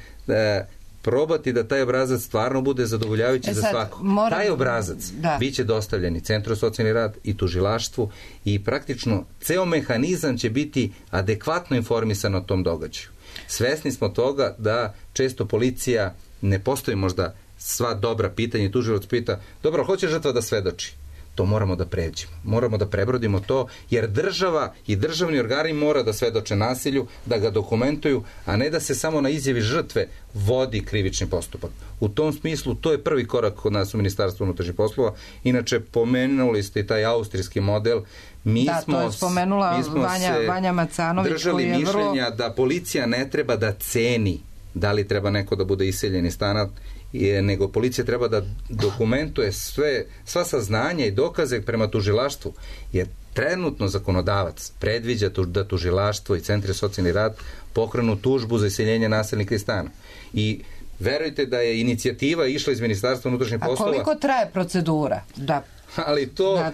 S5: probati da taj obrazac stvarno bude zadovoljavajući za svakog. Taj obrazac biće dostavljen i Centru socijalni rad i tužilaštvu i praktično ceo mehanizam će biti adekvatno informisan o tom događaju. Svesni smo toga da često policija ne postoji možda sva dobra pitanja i tužilac pita, dobro, hoće žrtva da svedoči? To moramo da pređemo. Moramo da prebrodimo to, jer država i državni organi mora da svedoče nasilju, da ga dokumentuju, a ne da se samo na izjavi žrtve vodi krivični postupak. U tom smislu, to je prvi korak kod nas u Ministarstvu unutrašnjih poslova. Inače, pomenuli ste i taj austrijski model.
S2: To je spomenula Vanja Macanović.
S5: Držali mišljenja da policija ne treba da ceni da li treba neko da bude iseljen iz stana, nego policija treba da dokumentuje sva saznanja i dokaze prema tužilaštvu, jer trenutno zakonodavac predviđa da tužilaštvo i centri socijalni rad pokrenu tužbu za iseljenje nasilnika iz stana. I verujte da je inicijativa išla iz Ministarstva unutrašnjih poslova.
S2: A koliko traje procedura?
S5: Ali ta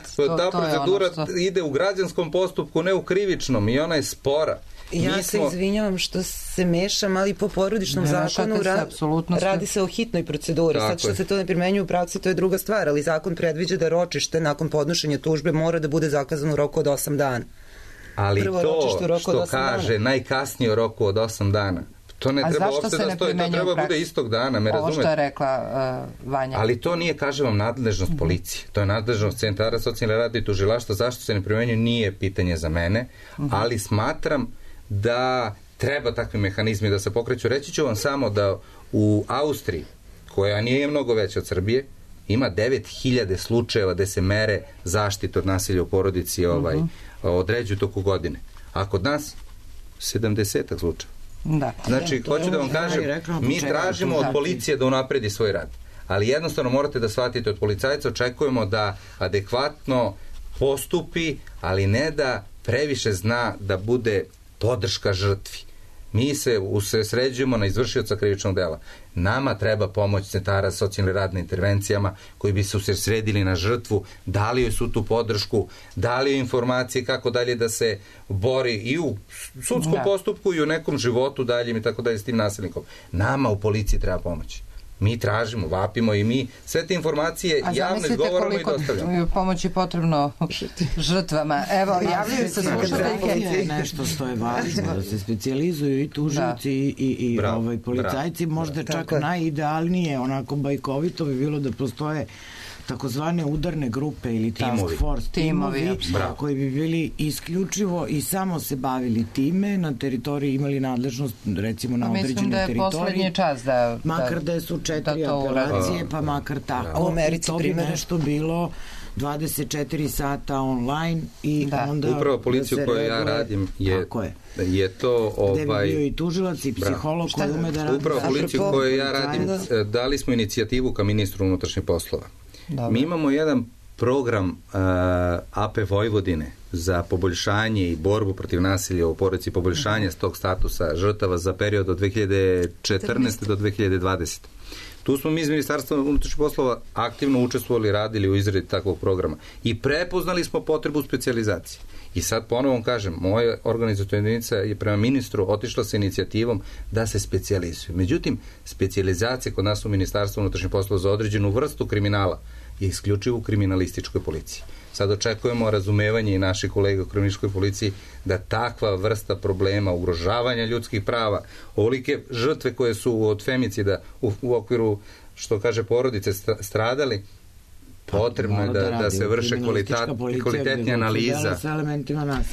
S5: procedura ide u građanskom postupku, ne u krivičnom, i ona je spora.
S6: Ja se izvinjavam što se mešam, ali po porodičnom zakonu radi se o hitnoj proceduri. Sad što se to ne primenjuje u praksi, to je druga stvar, ali zakon predviđa da ročište nakon podnošenja tužbe mora da bude zakazano u roku od 8 dana.
S5: Ali to što kaže najkasnije u roku od 8 dana, to ne treba uopšte da stoji, to treba bude istog dana, me razumete?
S2: Ovo što je rekla Vanja.
S5: Ali to nije, kažem vam, nadležnost policije. To je nadležnost centara socijalne rada i tužilaštva. Zašto se ne primenjuje, nije pitanje za mene, ali smatram da treba takvi mehanizmi da se pokreću. Reći ću vam samo da u Austriji, koja nije mnogo veća od Srbije, ima 9000 slučajeva gde se mere zaštite od nasilja u porodici određuju toku godine. A kod nas 70 slučajeva. Znači, hoću da vam kažem, mi tražimo od policije da unapredi svoj rad. Ali jednostavno morate da shvatite, od policajca očekujemo da adekvatno postupi, ali ne da previše zna da bude podrška žrtvi. Mi se usređujemo na izvršioca krivičnog dela. Nama treba pomoć centara socijalne rad na intervencijama koji bi se usredsredili na žrtvu, dali joj su tu podršku, dali joj informacije kako dalje da se bori i u sudskom postupku i u nekom životu daljem i tako dalje s tim nasilnikom. Nama u policiji treba pomoć. Mi tražimo, vapimo i mi sve te informacije javno izgovaramo i dostavljamo. A zamislite
S2: koliko pomoći potrebno žrtvama. Evo, javljaju se slušateljke.
S4: Nešto što je važno, da se specijalizuju i tužioci i policajci, možda čak najidealnije, onako bajkovito bi bilo da postoje takozvane udarne grupe ili task force timovi koji bi bili isključivo i samo se bavili time, na teritoriji imali nadležnost recimo na određenoj teritoriji.
S2: Mislim da je poslednji čas
S4: makar da su 4 apelacije, pa makar tako. I to bi nešto bilo 24 sata online i onda...
S5: Upravo policiju koju ja radim je to...
S4: Gde bi bio i tužilac i psiholog koji ume da radi.
S5: Upravo policiju koju ja radim, dali smo inicijativu ka ministru unutrašnjih poslova. Mi imamo jedan program AP Vojvodine za poboljšanje i borbu protiv nasilja u porodici, poboljšanje tog statusa žrtava za period od 2014. do 2020. Tu smo mi iz Ministarstva unutrašnjih poslova aktivno učestvovali, radili u izradi takvog programa i prepoznali smo potrebu specijalizacije. I sad ponovom kažem, moja organizacijona jedinica je prema ministru otišla sa inicijativom da se specijalizuju. Međutim, specijalizacija kod nas u Ministarstvu unutrašnjih poslova za određenu vrstu kriminala je isključivo u kriminalističkoj policiji. Sad očekujemo razumevanje i naših kolega u kriminalističkoj policiji da takva vrsta problema, ugrožavanja ljudskih prava, ovolike žrtve koje su od femicida u okviru, što kaže, porodice stradali, potrebno je da se vrše kvalitetnija analiza.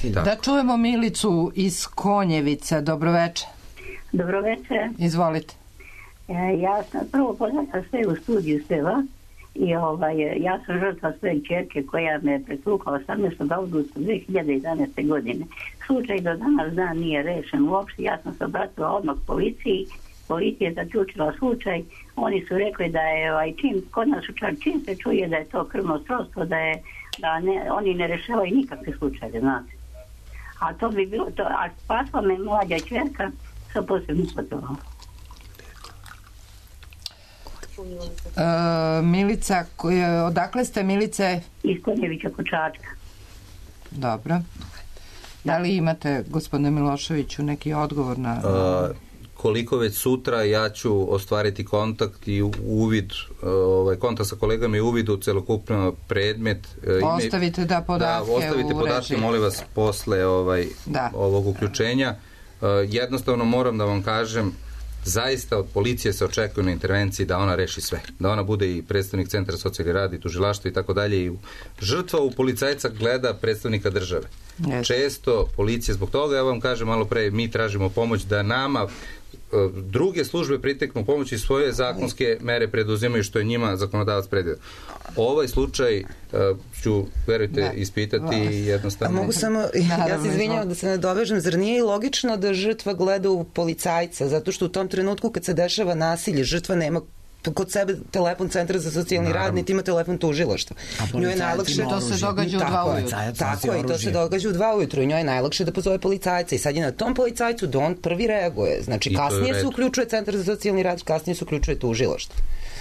S2: Da čujemo Milicu iz Konjevica. Dobroveče.
S17: Dobroveče.
S2: Izvolite.
S17: Ja sam prvo poznala sve u studiju Seva i ja sam žrtva svoje čerke koja me pretukla 18. avgusta 2011. godine. Slučaj do danas dan nije rešen uopšte. Ja sam se obratila odmah policiji. Policija je zaključila slučaj. Oni su rekli da je kod nas čim se čuje da je to krvno srodstvo, da je da oni ne rešavaju nikakve slučaje, znate. A to bi bilo to, a spasla me mlađa čerka sa posebnim potrebom.
S2: Milica, odakle ste, Milice?
S17: Iz Konjevića kod Čačka.
S2: Dobro. Da li imate, gospodine Miloševiću, neki odgovor na...
S5: Koliko već sutra ja ću ostvariti kontakt i uvid, kontakt sa kolegama i uvid u celokupno predmet.
S2: Ostavite podatke
S5: ostavite podatke, molim vas, posle ovog uključenja. Jednostavno moram da vam kažem, zaista od policije se očekuje na intervenciji da ona reši sve. Da ona bude i predstavnik Centra socijalni rad i tužilaštvo i tako dalje. I žrtva u policajca gleda predstavnika države. Često policija zbog toga, ja vam kažem malo pre, mi tražimo pomoć da nama druge službe priteknu pomoći i svoje zakonske mere preduzimaju što je njima zakonodavac predvidio. Ovaj slučaj ću, verujte, ispitati jednostavno.
S6: A mogu samo, ja se izvinjavam da se ne dovežem, zar nije i logično da žrtva gleda u policajca, zato što u tom trenutku kad se dešava nasilje, žrtva nema kod sebe telefon Centra za socijalni rad, niti ima telefon tužilaštva.
S2: Njoj je najlakše, to se događa u 2 ujutru.
S6: Tako je, to se događa u 2 ujutru i njoj je najlakše da pozove policajca i sad je na tom policajcu da on prvi reaguje. Znači, kasnije se uključuje Centar za socijalni rad, kasnije se uključuje tužilaštvo.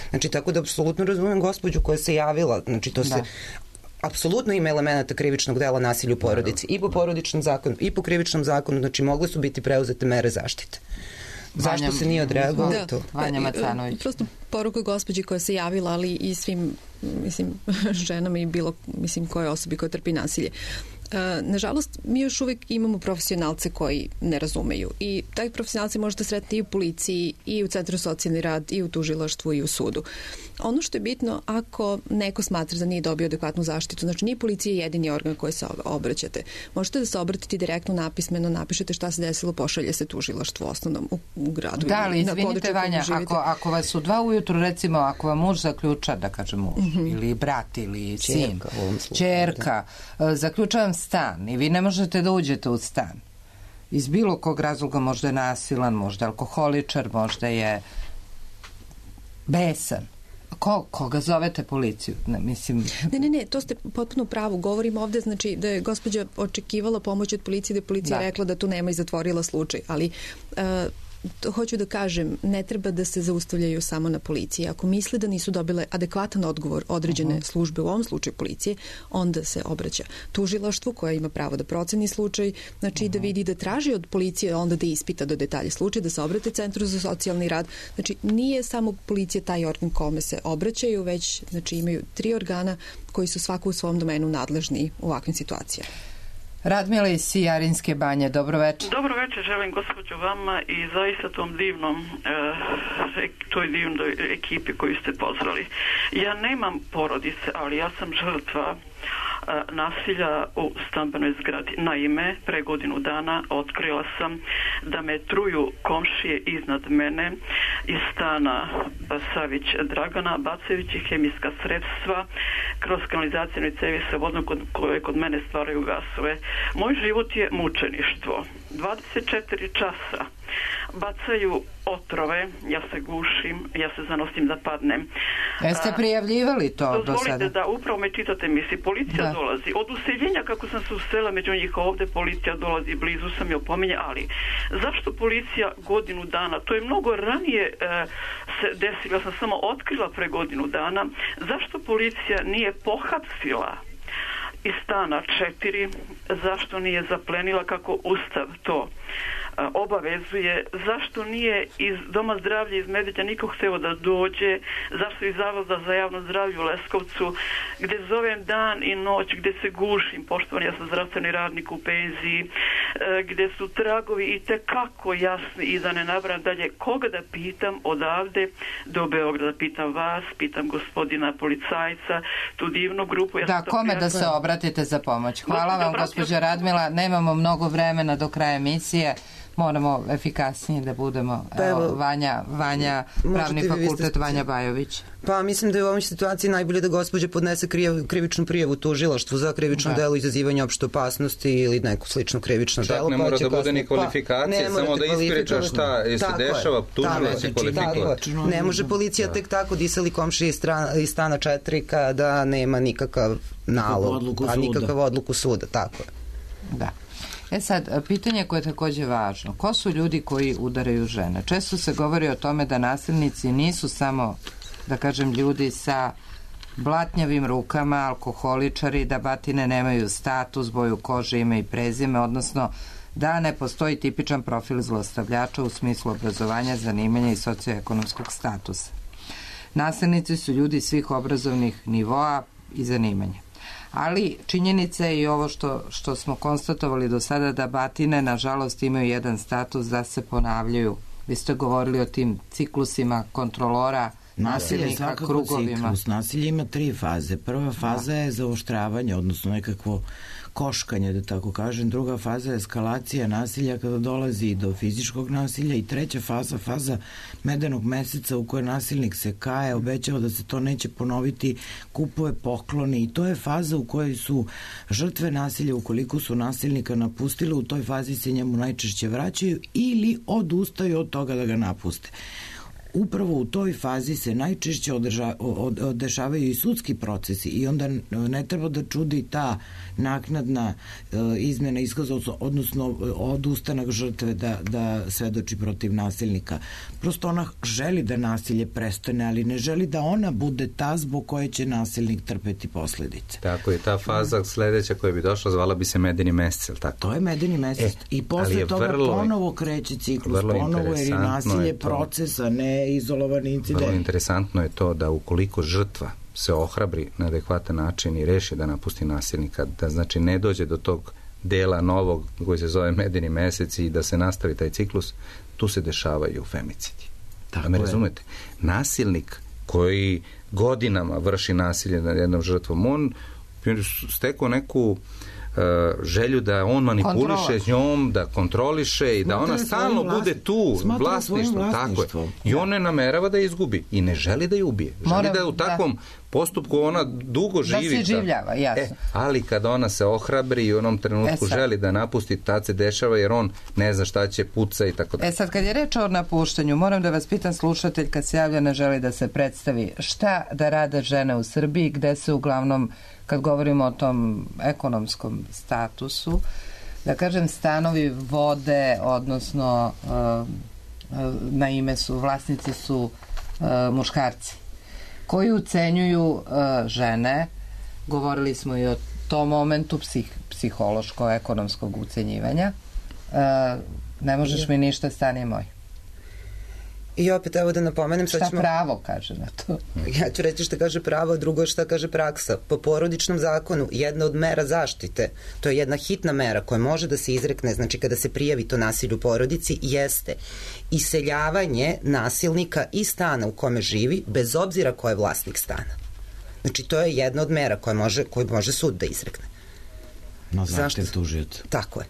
S6: Znači, tako da apsolutno razumem gospođu koja se javila. Znači, to se apsolutno ima elemenata krivičnog dela nasilja u porodici i po porodičnom zakonu i po krivičnom zakonu, znači mogle su biti preuzete mere zaštite. Zašto se nije odreagovalo to?
S2: Vanja Macanović.
S3: Prosto poruka gospođi koja se javila, ali i svim, ženama i bilo, koje osobi koja trpi nasilje. Nažalost, mi još uvijek imamo profesionalce koji ne razumeju i taj profesionalci možete sretiti i u policiji i u Centru socijalni rad i u tužilaštvu i u sudu. Ono što je bitno, ako neko smatra da nije dobio adekvatnu zaštitu, znači nije policija jedini organ koji se obraćate. Možete da se obratite direktno napismeno, napišete šta se desilo, pošalje se tužilaštvu osnovnom u gradu.
S2: Da, ali izvinite Vanja, ako vas u 2 ujutru, recimo, ako vam muž zaključa, da kažem muž, ili brat, ili sin, ćerka, zaključa vam stan i vi ne možete da uđete u stan. Iz bilo kog razloga, možda je nasilan, možda je alkoholičar, možda je besan. Koga zovete policiju?
S3: Ne, to ste potpuno pravo. Govorim ovde, znači, da je gospođa očekivala pomoć od policije, da je policija rekla da tu nema i zatvorila slučaj, ali hoću da kažem, ne treba da se zaustavljaju samo na policiji. Ako misle da nisu dobile adekvatan odgovor određene službe, u ovom slučaju policije, onda se obraća tužilaštvu koja ima pravo da proceni slučaj, znači da vidi, da traži od policije onda da ispita do detalje slučaj, da se obrate Centru za socijalni rad. Znači, nije samo policija taj organ kome se obraćaju, već imaju 3 organa koji su svako u svom domenu nadležni u ovakvim situacijama.
S2: Radmila iz Sijarinske banje, dobro večer.
S18: Dobro večer, želim gospođu vama i zaista tom toj divnoj ekipi koju ste pozvali. Ja nemam porodice, ali ja sam žrtva nasilja u stambenoj zgradi. Naime, pre godinu dana otkrila sam da me truju komšije iznad mene iz stana Savić Dragana, bacajući hemijska sredstva kroz kanalizacijne cevi sa vodom koje kod mene stvaraju gasove. Moj život je mučeništvo. 24 časa bacaju otrove, ja se gušim, ja se zanosim da padnem.
S2: Jeste prijavljivali to do sada?
S18: Dozvolite da upravo me čitate misli. Policija dolazi. Od useljenja kako sam se usela među njih ovde, policija dolazi, blizu sam je opominje, ali zašto policija godinu dana, to je mnogo ranije se desilo, ja sam samo otkrila pre godinu dana, zašto policija nije pohapsila iz stana 4, zašto nije zaplenila kako Ustav to obavezuje, zašto nije iz Doma zdravlja iz Medveđa niko hteo da dođe, zašto iz Zavoda za javno zdravlje u Leskovcu, gde zovem dan i noć, gde se gušim, poštovani, ja sam zdravstveni radnik u penziji, gde su tragovi i tekako jasni i da ne nabram dalje, koga da pitam odavde do Beograda, pitam vas, pitam gospodina policajca, tu divnu grupu.
S2: Da, kome da se obratite za pomoć? Hvala vam, gospođa Radmila, nemamo mnogo vremena do kraja emisije. moramo efikasnije da budemo. Evo, Vanja, pravni fakultet, Vanja Bajović.
S6: Pa mislim da je u ovoj situaciji najbolje da gospođa podnese krivičnu prijavu tužilaštvu za krivično delo izazivanja opšte opasnosti ili neko slično krivično delo.
S5: Čak ne mora da bude ni kvalifikacija, samo da ispriča šta se dešava, tužilac je kvalifikovan.
S6: Ne može policija tek tako disali komšije iz stana 4 kada nema nikakav nalog, a nikakav odluku suda, tako je.
S2: Da. Sad, pitanje koje je takođe važno. Ko su ljudi koji udaraju žene? Često se govori o tome da nasilnici nisu samo, da kažem, ljudi sa blatnjavim rukama, alkoholičari, da batine nemaju status, boju kože, ime i prezime, odnosno da ne postoji tipičan profil zlostavljača u smislu obrazovanja, zanimanja i socioekonomskog statusa. Nasilnici su ljudi svih obrazovnih nivoa i zanimanja. Ali činjenica je i ovo što smo konstatovali do sada, da batine nažalost imaju jedan status da se ponavljaju. Vi ste govorili o tim ciklusima kontrolora, nasilnika, krugovima.
S4: Ciklus. Nasilje ima 3 faze. Prva faza je zaoštravanje, odnosno nekakvo koškanje, da tako kažem. Druga faza je eskalacija nasilja kada dolazi do fizičkog nasilja i treća faza medenog meseca u kojoj nasilnik se kaje, obećava da se to neće ponoviti, kupuje pokloni i to je faza u kojoj su žrtve nasilja, ukoliko su nasilnika napustile, u toj fazi se njemu najčešće vraćaju ili odustaju od toga da ga napuste. Upravo u toj fazi se najčešće dešavaju i sudski procesi i onda ne treba da čudi ta naknadna izmena iskaza, odnosno odustanak žrtve da svedoči protiv nasilnika. Prosto ona želi da nasilje prestane, ali ne želi da ona bude ta zbog koje će nasilnik trpeti posledice.
S5: Tako je, ta faza sledeća koja bi došla zvala bi se medeni mesec, ili tako?
S4: To je medeni mesec i posle toga ponovo kreće ciklus, ponovo jer je nasilje procesa, ne izolovani incident.
S5: Vrlo interesantno je to da ukoliko žrtva se ohrabri na adekvatan način i reši da napusti nasilnika, da znači ne dođe do tog dela novog koji se zove medeni mesec i da se nastavi taj ciklus, tu se dešavaju femicidi. Da me razumete? Nasilnik koji godinama vrši nasilje nad jednom žrtvom, on stekao neku želju da on manipuliše s njom, da kontroliše i da ona stalno bude tu, vlasništvo, tako je. I on ne namerava da je izgubi i ne želi da je ubije. Želi da u takvom postupku ona dugo živi.
S2: Da se življava, jasno.
S5: Ali kada ona se ohrabri i u onom trenutku želi da napusti, tad se dešava jer on ne zna šta će, puca i tako da.
S2: Sad kad je reč o napuštanju, moram da vas pitam, slušatelj kad se javlja ne želi da se predstavi, šta da rade žene u Srbiji, gde se uglavnom, kad govorimo o tom ekonomskom statusu, da kažem, stanovi vode, odnosno na ime su, vlasnici su muškarci koji ucenjuju žene. Govorili smo i o tom momentu psihološko-ekonomskog ucenjivanja. Ne možeš mi ništa, stani moj.
S6: I opet, evo da napomenem...
S2: Šta pravo kaže na to?
S6: Ja ću reći šta kaže pravo, a drugo šta kaže praksa. Po porodičnom zakonu, jedna od mera zaštite, to je jedna hitna mera koja može da se izrekne, znači kada se prijavi to nasilje u porodici, jeste iseljavanje nasilnika iz stana u kome živi, bez obzira ko je vlasnik stana. Znači, to je jedna od mera koju može sud da izrekne.
S4: Na zahtev tužioca.
S6: Tako je.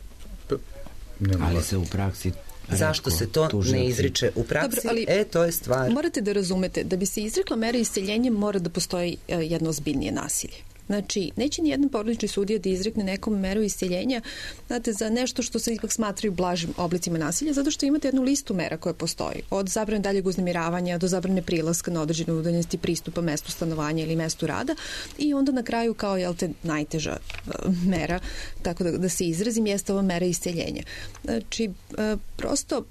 S4: Ali se u praksi...
S6: Zašto se to ne izriče u praksi? Dobro, ali to je stvar.
S3: Morate da razumete, da bi se izrekla mera iseljenja mora da postoji jedno ozbiljnije nasilje. Znači, neće ni jedan porodični sudija da izrekne nekom meru iseljenja, znate, za nešto što se ipak smatraju blažim oblicima nasilja, zato što imate jednu listu mera koja postoji. Od zabrane daljeg uznemiravanja do zabrane prilaska na određenu udaljenosti pristupa mestu stanovanja ili mestu rada i onda na kraju kao, najteža mera, tako da se izrazim, jeste ova mera iseljenja. Znači, prosto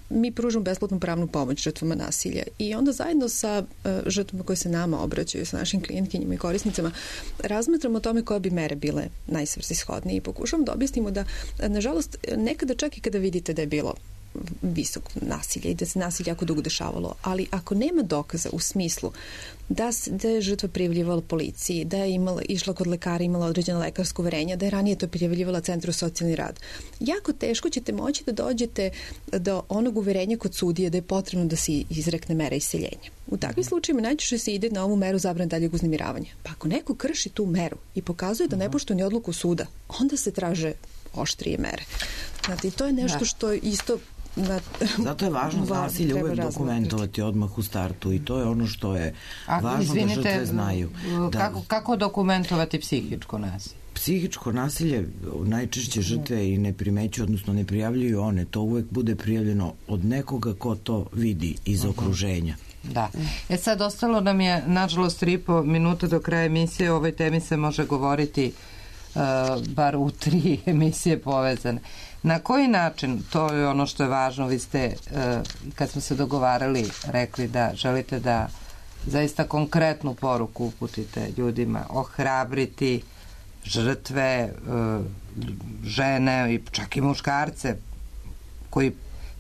S3: mi pružamo besplatnu pravnu pomoć žrtvama nasilja i onda zajedno sa žrtvama koje se nama obraćaju, sa našim klijentkinjima i korisnicama, razmatramo o tome koje bi mere bile najsvrsishodnije i pokušamo da objasnimo da, nažalost, nekada čak i kada vidite da je bilo visok nasilje i da se nasilje jako dugo dešavalo, ali ako nema dokaza u smislu da je žrtva prijavljivala policiji, da je išla kod lekara, imala određena lekarska uverenja, da je ranije to prijavljivala Centru za socijalni rad, jako teško ćete moći da dođete do onog uverenja kod sudije da je potrebno da se izrekne mera iseljenja. U takvim slučajima najčešće se ide na ovu meru zabrane daljeg uznemiravanja. Pa ako neko krši tu meru i pokazuje da ne poštuje ni odluku suda, onda se traže oštrije mere. Znate, i to je nešto što što
S4: zato je važno nasilje uvek dokumentovati odmah u startu i to je ono što je važno da žrtve znaju.
S2: Kako dokumentovati psihičko nasilje?
S4: Psihičko nasilje najčešće žrtve i ne primećuju, odnosno ne prijavljuju one. To uvek bude prijavljeno od nekoga ko to vidi iz okruženja.
S2: Da. Sad ostalo nam je, nažalost, 3,5 minuta do kraja emisije. O ovoj temi se može govoriti bar u 3 emisije povezane. Na koji način, to je ono što je važno, vi ste, kad smo se dogovarali, rekli da želite da zaista konkretnu poruku uputite ljudima, ohrabriti žrtve, žene i čak i muškarce koji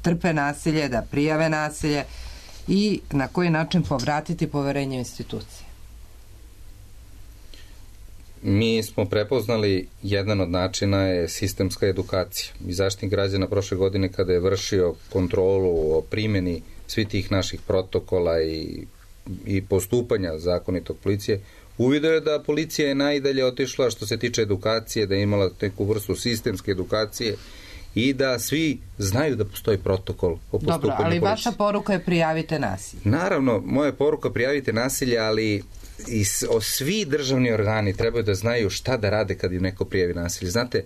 S2: trpe nasilje, da prijave nasilje i na koji način povratiti poverenje u institucije.
S5: Mi smo prepoznali jedan od načina je sistemska edukacija. I Zaštitnik građana prošle godine kada je vršio kontrolu o primjeni svih tih naših protokola i postupanja zakonitog policije, uvidio je da policija je najdalje otišla što se tiče edukacije, da je imala neku vrstu sistemske edukacije i da svi znaju da postoji protokol o postupanju policije.
S2: Dobro, ali vaša poruka je prijavite nasilje.
S5: Naravno, moja poruka prijavite nasilje, ali svi državni organi trebaju da znaju šta da rade kad im neko prijavi nasilje. Znate,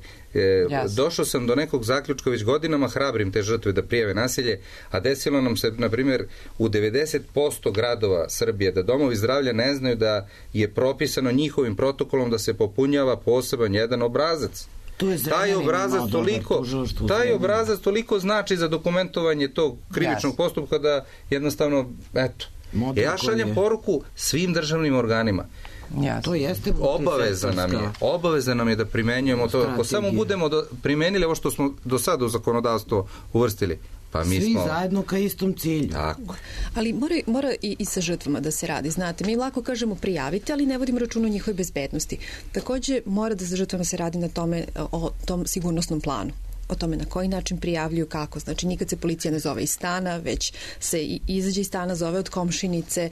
S5: došao sam do nekog zaključka, već godinama hrabrim te žrtve da prijave nasilje, a desilo nam se, na primjer, u 90% gradova Srbije da domovi zdravlja ne znaju da je propisano njihovim protokolom da se popunjava poseban jedan obrazac. Taj obrazac toliko znači za dokumentovanje tog krivičnog postupka da jednostavno, eto, ja šaljem poruku svim državnim organima.
S4: To jeste
S5: obaveza nam je da primenjujemo to. Ako samo budemo primenili ovo što smo do sada u zakonodavstvo uvrstili, pa mi
S4: svi zajedno ka istom cilju.
S5: Tako.
S3: Ali mora i sa žrtvama da se radi. Znate, mi lako kažemo prijavite, ali ne vodimo računa o njihovoj bezbednosti. Takođe, mora da sa žrtvama se radi na tome, o tom sigurnosnom planu. O tome na koji način prijavljuju, kako. Znači, nikad se policija ne zove iz stana, već se izađe iz stana, zove od komšinice.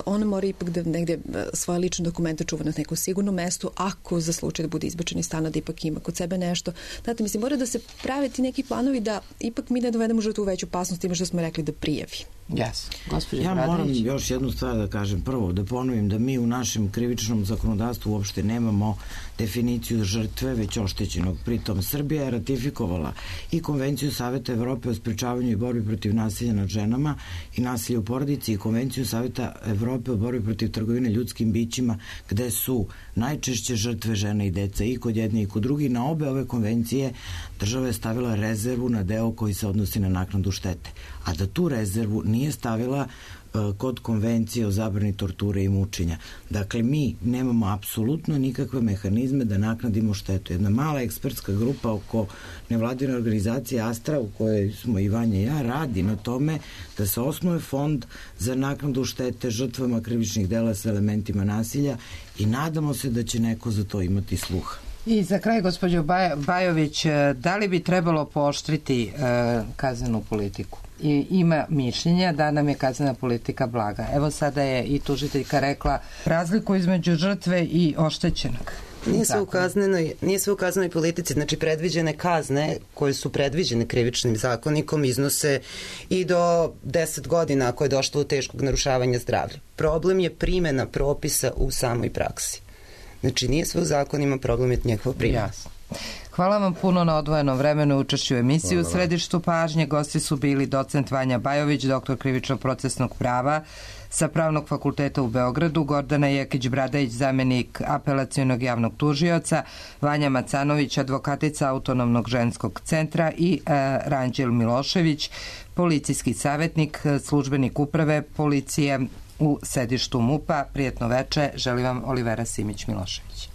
S3: Ona mora ipak da negde svoje lične dokumente čuva na nekom sigurnom mestu, ako za slučaj da bude izbačen iz stana, da ipak ima kod sebe nešto. Znate, mislim, mora da se prave ti neki planovi da ipak mi ne dovedemo žrtvu u veću opasnost time što smo rekli da prijavi.
S4: Ja moram još jednu stvar da kažem. Prvo, da ponovim da mi u našem krivičnom zakonodavstvu uopšte nemamo definiciju žrtve, već oštećenog. Pritom, Srbija je ratifikovala i Konvenciju Saveta Evrope o sprečavanju i borbi protiv nasilja nad ženama i nasilja u porodici i Konvenciju Saveta Evrope o borbi protiv trgovine ljudskim bićima, gde su najčešće žrtve žene i deca i kod jedne i kod drugi. Na obe ove konvencije država je stavila rezervu na deo koji se odnosi na naknadu štete. A da tu rezervu nije stavila kod konvencije o zabrani torture i mučenja. Dakle, mi nemamo apsolutno nikakve mehanizme da naknadimo štetu. Jedna mala ekspertska grupa oko nevladine organizacije Astra, u kojoj smo i Vanja i ja, radi na tome da se osnuje fond za naknadu štete žrtvama krivičnih dela sa elementima nasilja i nadamo se da će neko za to imati sluha.
S2: I za kraj, gospođo Bajović, da li bi trebalo pooštriti kaznenu politiku? I ima mišljenja da nam je kaznena politika blaga. Evo sada je i tužiteljka rekla razliku između žrtve i oštećenog.
S6: Nije sve u kaznenoj politici, znači predviđene kazne koje su predviđene krivičnim zakonikom iznose i do 10 godina ako je došlo do teškog narušavanja zdravlja. Problem je primjena propisa u samoj praksi. Znači, nije sve u zakonima, problem je njegova primjena.
S2: Hvala vam puno na odvojenom vremenu učešću u emisiji. U središtu pažnje gosti su bili docent Vanja Bajović, doktor krivično-procesnog prava sa Pravnog fakulteta u Beogradu, Gordana Jekić-Bradajić, zamenik apelacionog javnog tužioca, Vanja Macanović, advokatica Autonomnog ženskog centra i Ranđel Milošević, policijski savjetnik, službenik uprave policije u sedištu MUP-a. Prijetno veče, želim vam Olivera Simić-Milošević.